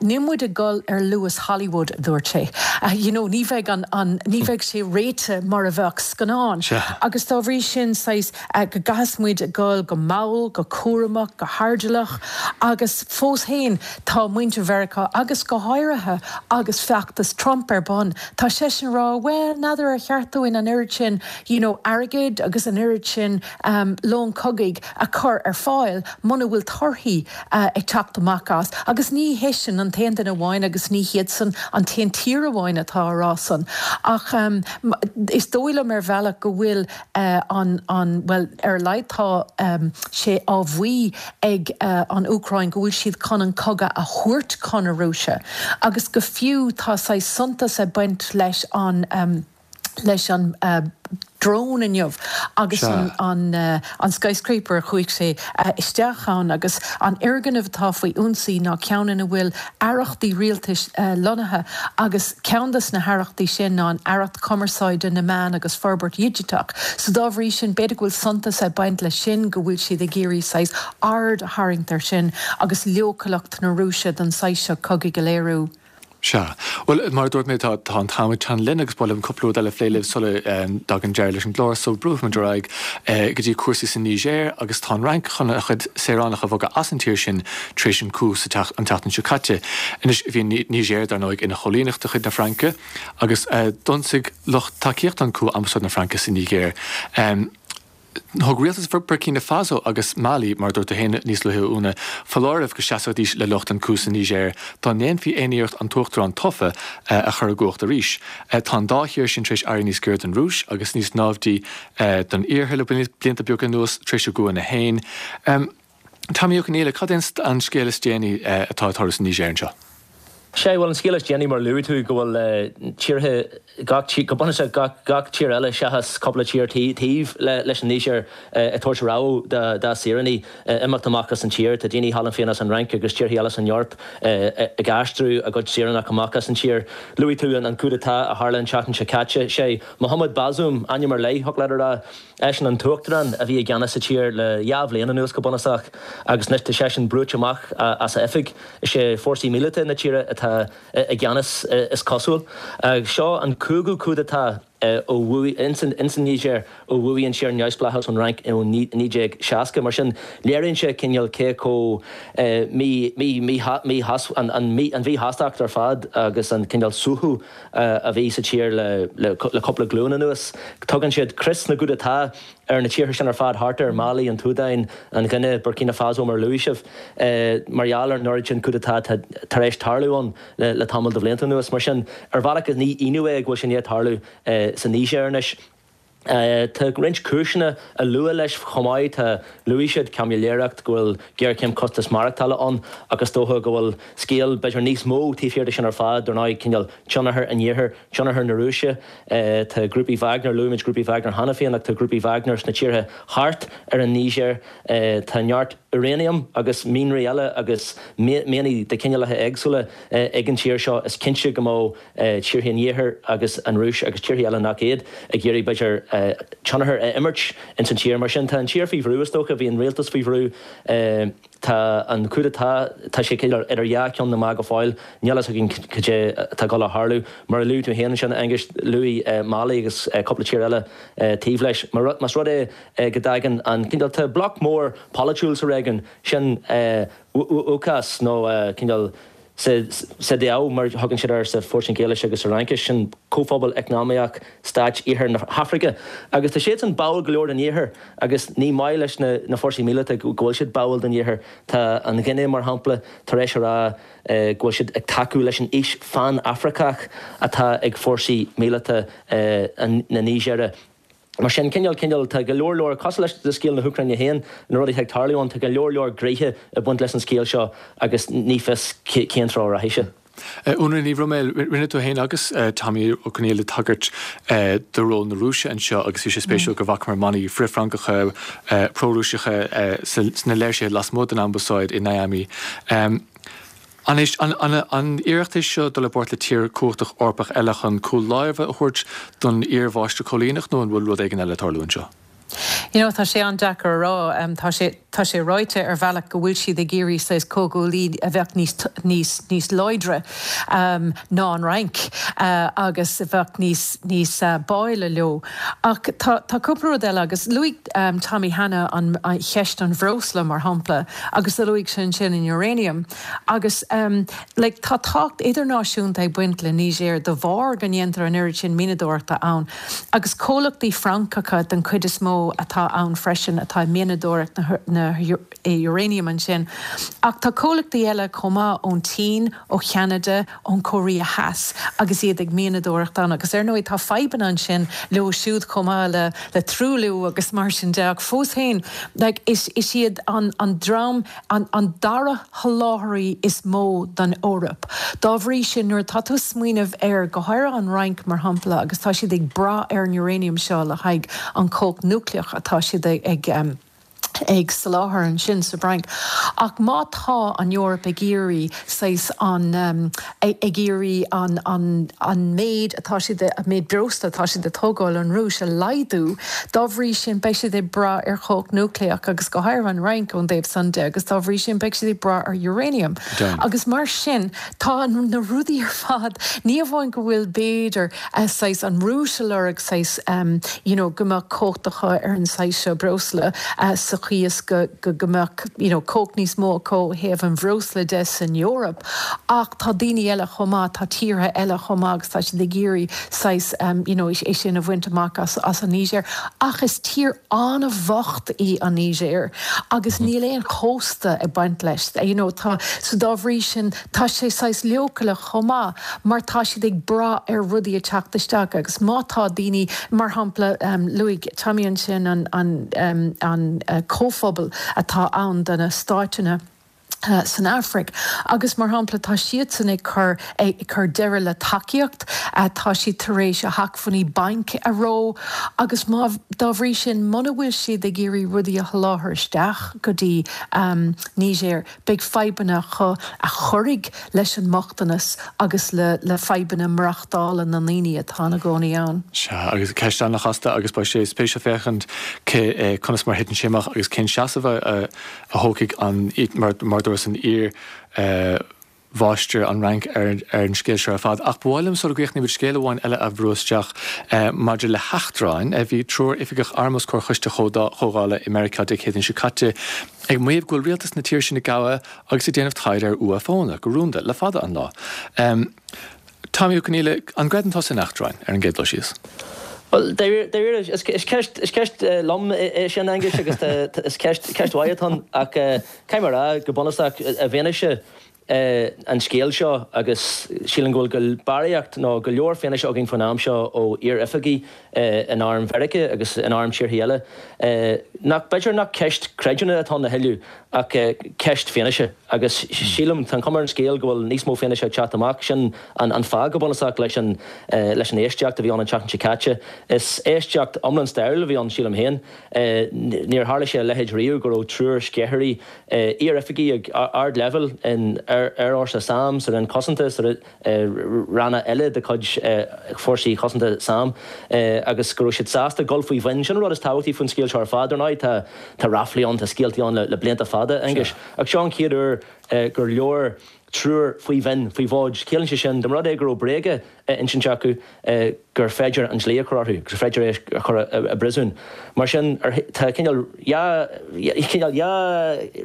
níl muid ag dul ar luas Hollywood, a dúirt sé. You know ní bheidh an, an, ní bheidh sé réitithe mar a bheadh scannán. Agus dá bhrí sin, saghas, go gcaithfeas muid a dhul go mall, go cúramach, go hairdeallach agus fós féin tá muintir Mheiriceá agus go háirithe agus feachtas Trump ar bun, tá seisean ag rá bhuel n'fheadar ar cheart dúinn an oiread sin you know airgid agus an oiread sin lón cogaidh a chur ar fáil muna bhfuil torthaí ag teacht amach as. Agus ní heisean an t-aon duine amháin agus ní hiadsan an t-aon tír amháin atá á rá san. Ach is dóigh liom ar bhealach go bhfuil an, an, bhuel, ar a laghad tá sé á mhaí ag an Úcráin go bhfuil siad chun an cogadh a thabhairt chun na Rúise agus go fiú tá saghas suntas ag baint leis an, leis an drone inniu agus an, an skyscraper a chuaigh sé isteach ann agus an fhoirgneamh atá faoi ionsaí ná ceann ina bhfuil aireachtaí rialtais lonnaithe agus ceann de na haireachtaí sin ná an Aireacht Cumarsáide, na Meán agus Forbairt Dhigiteach. So dá bhrí sin, b'fhéidir go bhfuil suntas ag baint leis sin, go bhfuil siad ag iarraidh saghas aird a tharraingt air sin agus leochaileacht na Rúise don saghas seo cogaidh a léiriú. Sea. Bhuel, mar a dúirt mé, tá tá an t-am ag teannadh linn agus ba mhaith liom cúpla rud eile a phlé libh sula dtagann deireadh leis an gclár. So brúfaimid ar aghaidh go dtí cúrsaí sa Nigéir agus tá an Fhrainc chun a chuid saoránach a bhogadh as an tír sin tar éis an coup sa an tseachtain seo caite. Anois, bhí an Nigéir, dar ndóigh, ina choilíneacht de chuid na Fraince agus d'ionsaigh lucht tacaíochta an coup ambasáid na Fraince sa Nigéir. Thug rialtas Burkina Faso agus Mali, mar a dúirt tú féin níos luaithe, a Úna, foláireamh go seasfaidís le lucht an coup sa Nigéir dá ndéanfaí aon iarracht an t-uachtarán tofa a chur i gcumhacht arís. Tá an dá thír sin tar éis éirí níos gaire don Rúis agus níos naimhdí don Iarthar le blianta beaga anuas tar éis a gcúanna féin. Tommy Ó Conghaile, cad é an scéal is déanaí atá ag tarlú sa Nigéir anseo? Sea, bhuel, an scéal is déanaí, mar a luaigh tú, go bhfuil tíortha, gach tír, go bunúsach gach, gach tír eile seachas cúpla tír taobh leis an Nigéir ag tabhairt rabhadh dá saoránaigh imeacht amach as an tír. Tá daoine thall féin as an Fhrainc agus tíortha eile san Eoraip ag aistriú a gcuid saoránach amach as an tír. Luaigh tú an coup d'état a tharla an tseachtain seo caite. Sé Mohamed Bazoum, ainm ar leith, thiocfadh leat a rá, Eisean an t-uachtarán a bhí i gceannas sa tír le dhá bhliain anuas go bunúsach agus anois tá seisean brúite amach as a oifig. Is é fórsaí míleata na tíre atá i gceannas is cosúil. Seo an cúigiú coup d'état. Ó bhuaigh, ins an Nigéir, ó bhuaigh an tír neamhspleáchas ón Fhrainc i 1960. Mar sin, léiríonn sé cineál cé chomh mí, mí, mí, an mhíshástacht ar fad agus an cineál suaitheadh a bhí sa tír le, le cúpla glúin anuas. Tugann siad crios na gcoup d'état ar na tíortha sin ar fad thart air, Mali, an tSúdáin, an Ghuine, Burkina Faso mar a luaigh sibh, mar gheall ar an oiread sin coup d'état atá tar éis tarlú ann. le tamall de bhlianta anuas. Mar sin, ar bhealach ní ionadh é go bhfuil sé i ndiaidh tarlú sa Nigéir anois. Tá roinnt cúiseanna a lua leis chomh maith. Tá, luaigh siad caimiléireacht, go bhfuil géarchéim costas maireachtála ann ach is dócha go bhfuil scéal b'fhéidir níos mó taobh thiar de sin ar fad, dar ndóigh, cineál tionchar an Iarthair, tionchar na Rúise. Tá grúpaí Wagner, luaigh muid grúpaí Wagner cheana féin ach tá grúpaí Wagner sna tíortha thart ar an Nigéir. Tá neart úráiniam agus mianraí eile agus mianaigh de chineálacha éagsúla ag an tír seo. Is cinnte go mbeadh tíortha an Iarthair agus an Rúis agus tíortha eile nach iad ag iarraidh, b'fhéidir, tionchar a imirt ins an tír. Mar sin, tá an tír faoi bhrú, is dócha. Bhí an rialtas faoi bhrú. Tá an coup d'état, tá sé idir dhá cheann na meá go fóill. Níl a fhios againn cad é atá ag dul a tharlú. Mar a luaigh tú féin ansin, a Aonghuis, luaigh Mali agus cúpla tír eile taobh leis. Más rud é go dtagann an cineál, tá bloc mór polaitiúil sa réigiún sin, ECOWAS nó cineál CEDEAO mar a thugann siad air sa Phortaingéilis agus sa Fhraincis, sin Comhphobal Eacnamaíoch Stáit Iarthar na hAfraice. Agus tá siadsan báúil go leor don Iarthar agus ní maith leis na fórsaí míleata go bhfuil siad báúil don Iarthar. Tá an Ghuine, mar shampla, tar éis a rá go bhfuil siad ag tacú leis an fhís phan-Afracach atá ag fórsaí míleata na Nigéire. Mar sin, cineál, cineál, tá go leor leor, cosúil leis le scéal na hÚcráine féin, na rudaí atá ag tarlú ann, tá go leor leor gnéithe ag baint leis an scéal seo agus ní fios cén treo a rachaidh sé. Úna Ní Bhroiméil, rinne tú féin agus Tommy Ó Conghaile tagairt do ról na Rúise anseo agus bhí sé spéisiúil go bhfacamar manaí frith-Fhrancacha, pro-Rúiseacha sna léirsithe lasmuigh den ambasáid i Niamey. An é an iarracht é seo dul i bpáirt le tír cumhachtach Eorpach eile chun cúl láimhe a thabhairt don iar-mháistir coilíneach nó an bhfuil rud éigin eile ag tarlú anseo? You know, tá sé an-deacair a rá. Tá sé, tá sé ráite ar bhealach go bhfuil siad ag iarraidh saghas comhghuaillí a bheadh níos, níos, níos láidre ná an Fhrainc agus a bheadh níos, níos báúla leo. Ach tá, tá cúpla rud eile agus luaigh Tommy cheana an cheist an bhreosla mar shampla agus luaigh sé ansin an uranium. Agus like tá tábhacht idirnáisiúnta ag baint le Niger de bharr go ndéantar an oiread sin mianadóireachta ann. Agus comhlachtaí Francacha den chuid is mó atá ann freisin atá ag mianadóireacht na uranium ansin. Ach tá comhlachtaí eile chomh maith ón tSín, ó Cheanada, ón Chóiréa Theas agus iad ag mianadóireacht ann. Agus ar ndóigh tá fadhbanna ansin leo siúd chomh maith le le truailliú agus mar sin de ach fós féin like is is iad an an dream an an dara sholáthraí is mó don Eoraip. Dá bhrí sin nuair atá tú ag smaoineamh ar go háirithe an Fhrainc mar shampla agus tá siad ag brath ar an uranium seo le haghaidh an chumhacht núicléach atá siad ag ag soláthar ansin sa bhFrainc. Ach má tá an Eoraip ag iarraidh saghas an, ag iarraidh an, an, an méid atá siad, an méid breosla atá siad ag tógáil ón Rúis a laghdú, dá bhrí sin beidh siad ag brath ar chumhacht núicléach agus go háirithe an Fhrainc ón dtaobh san de agus dá bhrí sin beidh siad ag brath ar uranium. Agus mar sin tá na rudaí ar fad, ní amháin go bhfuil b'fhéidir, saghas an Rúis ag lorg saghas you know go mbeadh cumhacht acu ar an saghas seo breosla sa chaoi is go go go mbeadh you know cumhacht níos mó acu ó thaobh an bhreosla de san Eoraip ach tá daoine eile chomh maith, tá tíortha eile chomh maith agus tá siad ag iarraidh saghas you know é sin a bhaint amach as as an Nigéir. Ach is tír an-bhocht í an Nigéir agus níl aon chósta ag baint leis you know tá so dá bhrí sin Tá sé saghas leochaileach chomh maith mar tá siad ag brath ar rudaí ag teacht isteach agus má tá daoine, mar shampla, luaigh Tommy ansin an an an comhphobal atá ann do na stáiteanna san Afraic agus mar shampla tá siadsan ag cur ag cur deireadh le tacaíocht, tá siad tar éis a hacmhainní bainc a reo agus má dá bhrí sin muna bhfuil siad ag iarraidh rudaí a sholáthar isteach go dtí Niger Beidh fadhbanna acu a chuirfidh leis an mbochtanas agus le le fadhbanna maireachtála na ndaoine atá ina gcónaí ann. Sea, agus ceist an-chasta agus beidh sé spéisiúil féachaint cé conas mar a thiteann sé amach agus cén seasamh a a thógfaidh an mar mar dúras an iar. mháistir an Fhrainc ar an scéal seo ar fad. Ach ba mhaith liom, sula gcríochnaímid, scéal amháin eile a bhrú isteach maidir le heachtráin. Bhí triúr oifigeach airm os comhair choiste chomhdhála i Meiriceá Dé Céadaoin seo caite ag maíomh go bhfuil rialtas na tíre sin ag gabhadh agus ag déanamh taighde ar UFOnna, go rúnda, le fada an lá. Tommy Ó Conghaile, an gcreideann tusa in eachtráin, ar an gcéad dul síos? Bhuel, dáiríre, is ceist, is ceist lom é sin, Aengus, agus is ceist, ceist mhaith atá ann, ach caithfidh mé a rá, go bunúsach, i bhfianaise an scéil seo, agus sílim go bhfuil barraíocht nó go leor fianaise againn faoin am seo ó iar-oifigigh in arm Mheiriceá agus in arm tíortha eile, nach, b'fhéidir nach ceist creidiúna atá ann a thuilleadh ach ceist fianaise. Agus sílim, tá an chuma ar an scéal go bhfuil níos mó fianaise ag teacht amach. Sin an fáth go bunúsach leis an leis an éisteacht a bhí ann an tseachtain seo caite. Is éisteacht iomlán stairiúil a bhí ann, sílim féin. Níor tharla sé a leithéid riamh go raibh triúr sceithirí, iar-oifigigh ag ardleibhéal in Aerfhórsa sam, sa Roinn Cosanta, sa ranna eile de chuid Fórsaí Cosanta sam, agus go raibh siad sásta dul faoi mhionn. Sin an rud is tábhachtaí faoin scéal seo ar fad. Ar ndóigh, tá tá ráflaí ann, tá scéaltaí ann le blianta fada, Aengus, ach seo an chéad uair gur labhair triúr faoi mhionn, faoi mhóid. Ciallaíonn sé sin, dá mba rud é go raibh bréaga á insint acu, gur féidir an dlí a chur orthu, gur féidir é a chur i bpríosún. Mar sin, tá cineál dhá, cineál dhá,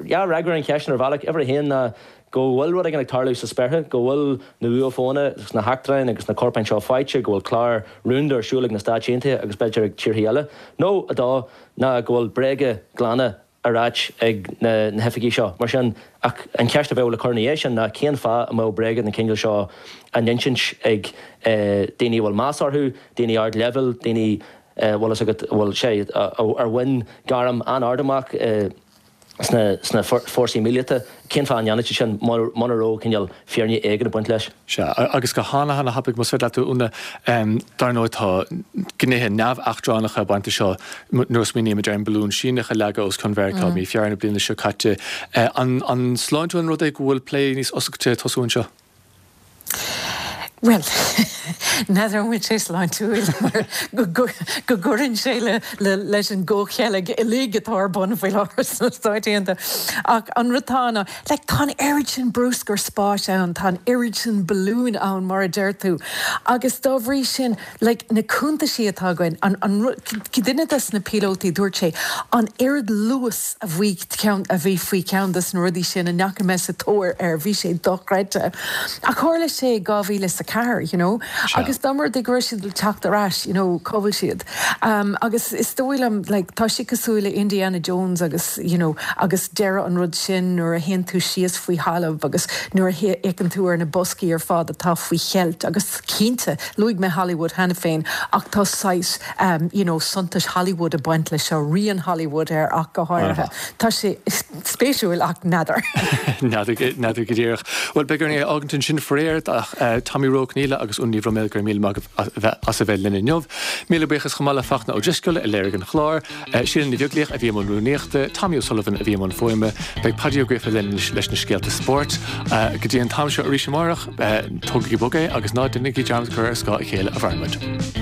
dhá fhreagra ar an cheist sin ar bhealach. Uimhir a haon ná go bhfuil rud éigin ag tarlú sa spéartha, go bhfuil na UFOnna agus na heachtráin agus na corpáin seo faighte, go bhfuil clár rúnda ar siúl ag na Stáit Aontaithe agus b'fhéidir ag tíortha eile. Nó a dó ná go bhfuil bréaga glana á ráit ag na hoifigigh seo. Mar sin, ach an cheist a bheadh le cur ina dhiaidh sin ná cén fáth a mbeadh bréaga den chineál seo á n-insint ag daoine a bhfuil meas orthu, daoine ardleibhéil, daoine, bhfuil fhios agat, a bhfuil sé, ar bhain gairm an-ard amach sna fórsaí míleata, cén fáth a ndéanfadh siad sin muna raibh cineál fírinne éigin ag baint leis? Sea, agus go hana-hana-thapaidh, más féidir leat, a Úna, dar ndóigh tá gnéithe neamh-eachtránacha ag baint leis seo nuair a smaoinímid ar an balún Síneach a leagadh os cionn Mheiriceá mí Feabhra na bliana seo caite. An sláintiúil an rud é go bhfuil plé níos oscailte ag tosú anseo? Bhuel, n'fheadar an bhfuil sé sláintiúil mar go gcuireann sé leis an gcomhcheilg uilig atá ar bun faoi láthair sna Stáit Aontaithe. Ach an rud atá ann ná, like, tá an oiread sin bruscar spáis ann, tá an oiread sin balúin ann, mar a deir tú, agus dá bhrí sin, like, na cuntaisí atá againn, an, an rud, duine des na píolótaí, dúirt sé, an oiread luas a bhí ceann, a bhí faoi cheann des na rudaí sin a ndeachaigh mé sa tóir air, bhí sé dochreidte. Ach tharla sé i 2004, you know, agus dá mba rud é go raibh siad ag teacht ar ais, you know, cá bhfuil siad? Um, agus is dóigh liom, like, tá sé cosúil le Indiana Jones agus, you know, agus deireadh an rud sin nuair a théann tú síos faoi thalamh agus nuair a fhéachann tú ar na boscaí ar fad atá faoi cheilt agus cinnte, Luaigh mé Hollywood cheana féin ach tá saghas you know suntais Hollywood ag baint leis seo, rian Hollywood air ach go háirithe. Tá sé spéisiúil ach n'fheadar. N'fheadar go díreach. Bhuel, beidh orainn é a fhágaint ansin faraor ach Tommy Ó Conghaile agus Úna Ní Bhroiméil go raibh míle maith agaibh as a bheith linn inniu. Míle buíochas chomh maith le Fachtna Ó Drisceoil a léirigh an clár. Síle Ní Bheaglaoich a bhí i mbun rúnaíochta, Tommy O'Sullivan a bhí i mbun fuaime. Beidh Paidí Ó Gríofa linn anois leis na scéalta spóirt. Go dtí an t-am seo arís amárach, tógaigí bog é agus ná déanaigí dearmad cur ar scáth a chéile a mhaireann muid.